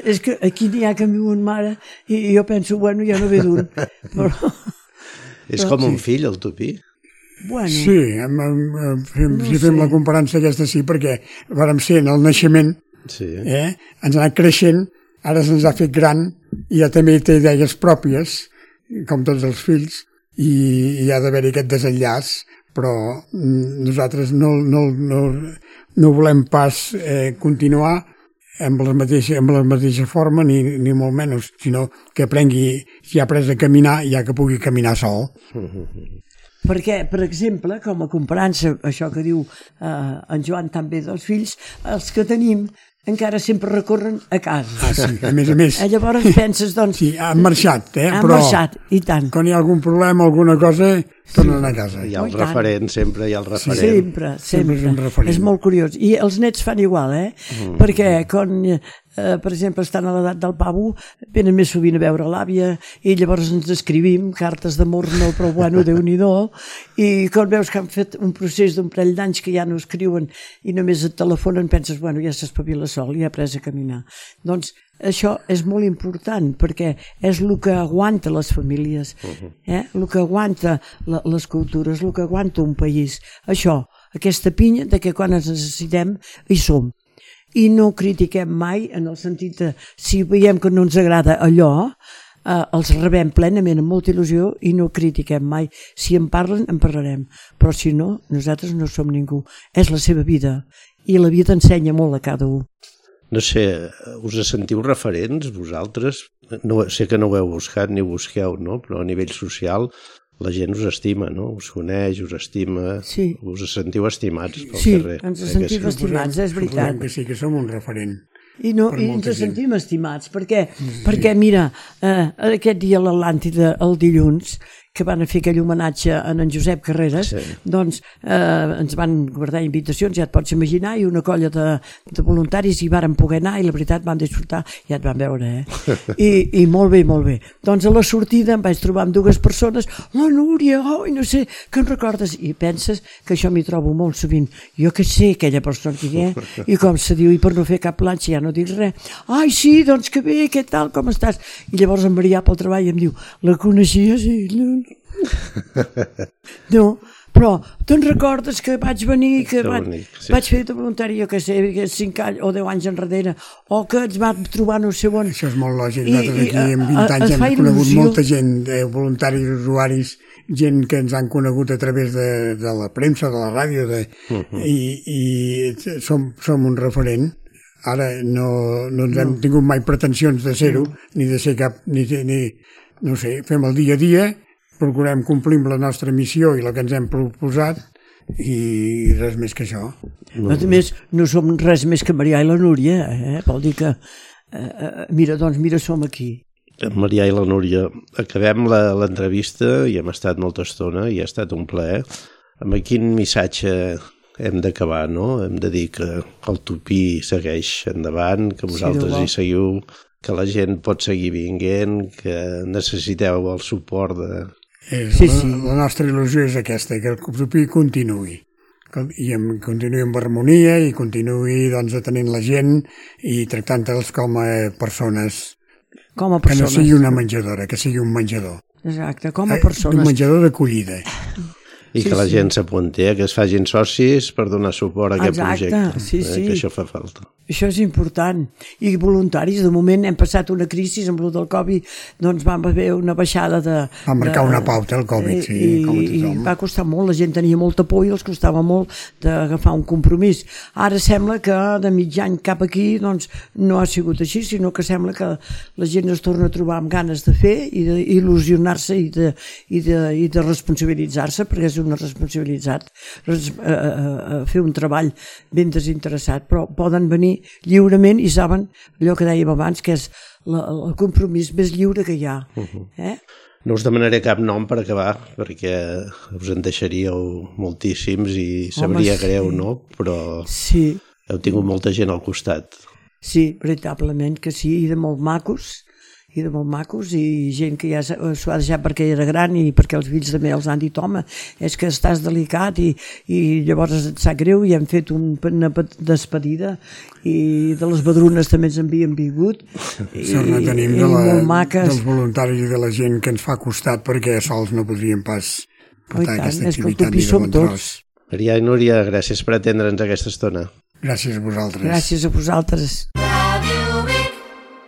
B: És que aquí n'hi ha que em viuen mare i jo penso, bueno, ja no ve d'un.
A: És com un fill, el Tupí?
C: Bueno. Sí, si fem la comparança aquesta sí, perquè vàrem ser en el naixement, ens ha anat creixent, ara se'ns ha fet gran i ja també té idees pròpies, com tots els fills, i ha d'haver-hi aquest desenllaç, però nosaltres no volem pas continuar amb la mateixa forma ni molt menys, sinó que aprengui, si ha après a caminar, ja que pugui caminar sol.
B: Perquè, per exemple, com a comparança, això que diu en Joan també dels fills, els que tenim encara sempre recorren a casa.
C: Ah, sí, a més.
B: Llavors penses, doncs...
C: Sí, han marxat,
B: Han marxat, i tant.
C: Quan hi ha algun problema, alguna cosa, tornen a casa.
A: Hi ha el referent, sempre hi ha el referent.
B: Sempre. És molt curiós. I els nets fan igual, perquè quan, per exemple, estan a l'edat del pavo, venen més sovint a veure l'àvia i llavors ens escrivim cartes d'amor, no, però bueno, Déu-n'hi-do, i quan veus que han fet un procés d'un parell d'anys que ja no escriuen i només et telefonen, penses, bueno, ja s'espavila sol, ja ha après a caminar. Doncs això és molt important perquè és el que aguanta les famílies, el que aguanta les cultures, el que aguanta un país. Això, aquesta pinya de que quan ens necessitem hi som. I no critiquem mai en el sentit de si veiem que no ens agrada allò, els rebem plenament amb molta il·lusió i no critiquem mai. Si en parlen, en parlarem, però si no, nosaltres no som ningú. És la seva vida i la vida ensenya molt a cada un.
A: No sé, us sentiu referents vosaltres? No, sé que no ho heu buscat ni ho busqueu, no? Però a nivell social la gent us estima, no? Us coneix, us estima, us sentiu estimats pel carrer.
B: Sí, ens sentim estimats, és veritat.
C: Que sí, que som un referent.
B: I ens sentim estimats, perquè mira, aquest dia a l'Atlàntida, el dilluns, que van fer aquell homenatge a en Josep Carreras, doncs ens van guardar invitacions, ja et pots imaginar, i una colla de voluntaris hi varen poder anar i la veritat van disfrutar, ja et van veure, I molt bé, molt bé. Doncs a la sortida em vaig trobar amb 2 persones, la Núria, no sé, que en recordes? I penses que això m'hi trobo molt sovint. Jo que sé aquella persona que i com se diu, i per no fer cap planxa ja no dic res. Ai, sí, doncs que bé, què tal, com estàs? I llavors en Marià pel treball em diu, la coneixies? No, però te'n recordes que vaig venir, que vaig fer de voluntari, jo que sé, 5 anys o 10 anys enrere, o que ens vam trobar no sé on.
C: Això és molt lògic, nosaltres aquí en 20 anys hem conegut molta gent, voluntaris, usuaris, gent que ens han conegut a través de la premsa, de la ràdio, i som un referent. Ara no ens hem tingut mai pretensions de ser-ho, ni de ser cap, no sé, fem el dia a dia, procurem complir la nostra missió i la que ens hem proposat i res més que això.
B: A més, no som res més que Marià i la Núria, vol dir que mira, som aquí.
A: Marià i la Núria, acabem l'entrevista i hem estat molta estona i ha estat un plaer. Amb quin missatge hem d'acabar, no? Hem de dir que el Tupí segueix endavant, que vosaltres hi seguiu, que la gent pot seguir vinguent, que necessiteu el suport de...
C: La nostra il·lusió és aquesta, que el Tupí continuï. I continuï amb harmonia i continuï doncs, atenent la gent i tractant-los com a persones. Que no sigui una menjadora, que sigui un menjador.
B: Exacte, com a persones.
C: Un menjador d'acollida.
A: I que la gent s'apunti, que es facin socis per donar suport a aquest projecte.
B: Sí.
A: Que això fa falta.
B: Això és important. I voluntaris, de moment hem passat una crisi amb el del Covid, doncs vam haver una baixada de...
C: Va marcar una pauta el Covid, sí.
B: I va costar molt, la gent tenia molta por i els costava molt d'agafar un compromís. Ara sembla que de mig any cap aquí doncs no ha sigut així, sinó que sembla que la gent es torna a trobar amb ganes de fer i d'il·lusionar-se i de responsabilitzar-se, perquè és una responsabilitat fer un treball ben desinteressat, però poden venir lliurement i saben allò que dèiem abans, que és el compromís més lliure que hi ha.
A: No us demanaré cap nom per acabar, perquè us en deixaríeu moltíssims i sabria greu, no? Però heu tingut molta gent al costat.
B: Sí, veritablement que sí, i de molt macos, i gent que ja s'ho ha deixat perquè era gran i perquè els fills també els han dit, home, és que estàs delicat i llavors et sap greu i hem fet una despedida i de les Badrunes també ens havien vingut
C: sort no tenim dels voluntaris i de la gent que ens fa costat perquè sols no podríem pas portar aquesta activitat ni de bon tros.
A: Maria i Núria, gràcies per atendre'ns aquesta estona.
C: Gràcies a vosaltres.
B: Gràcies a vosaltres.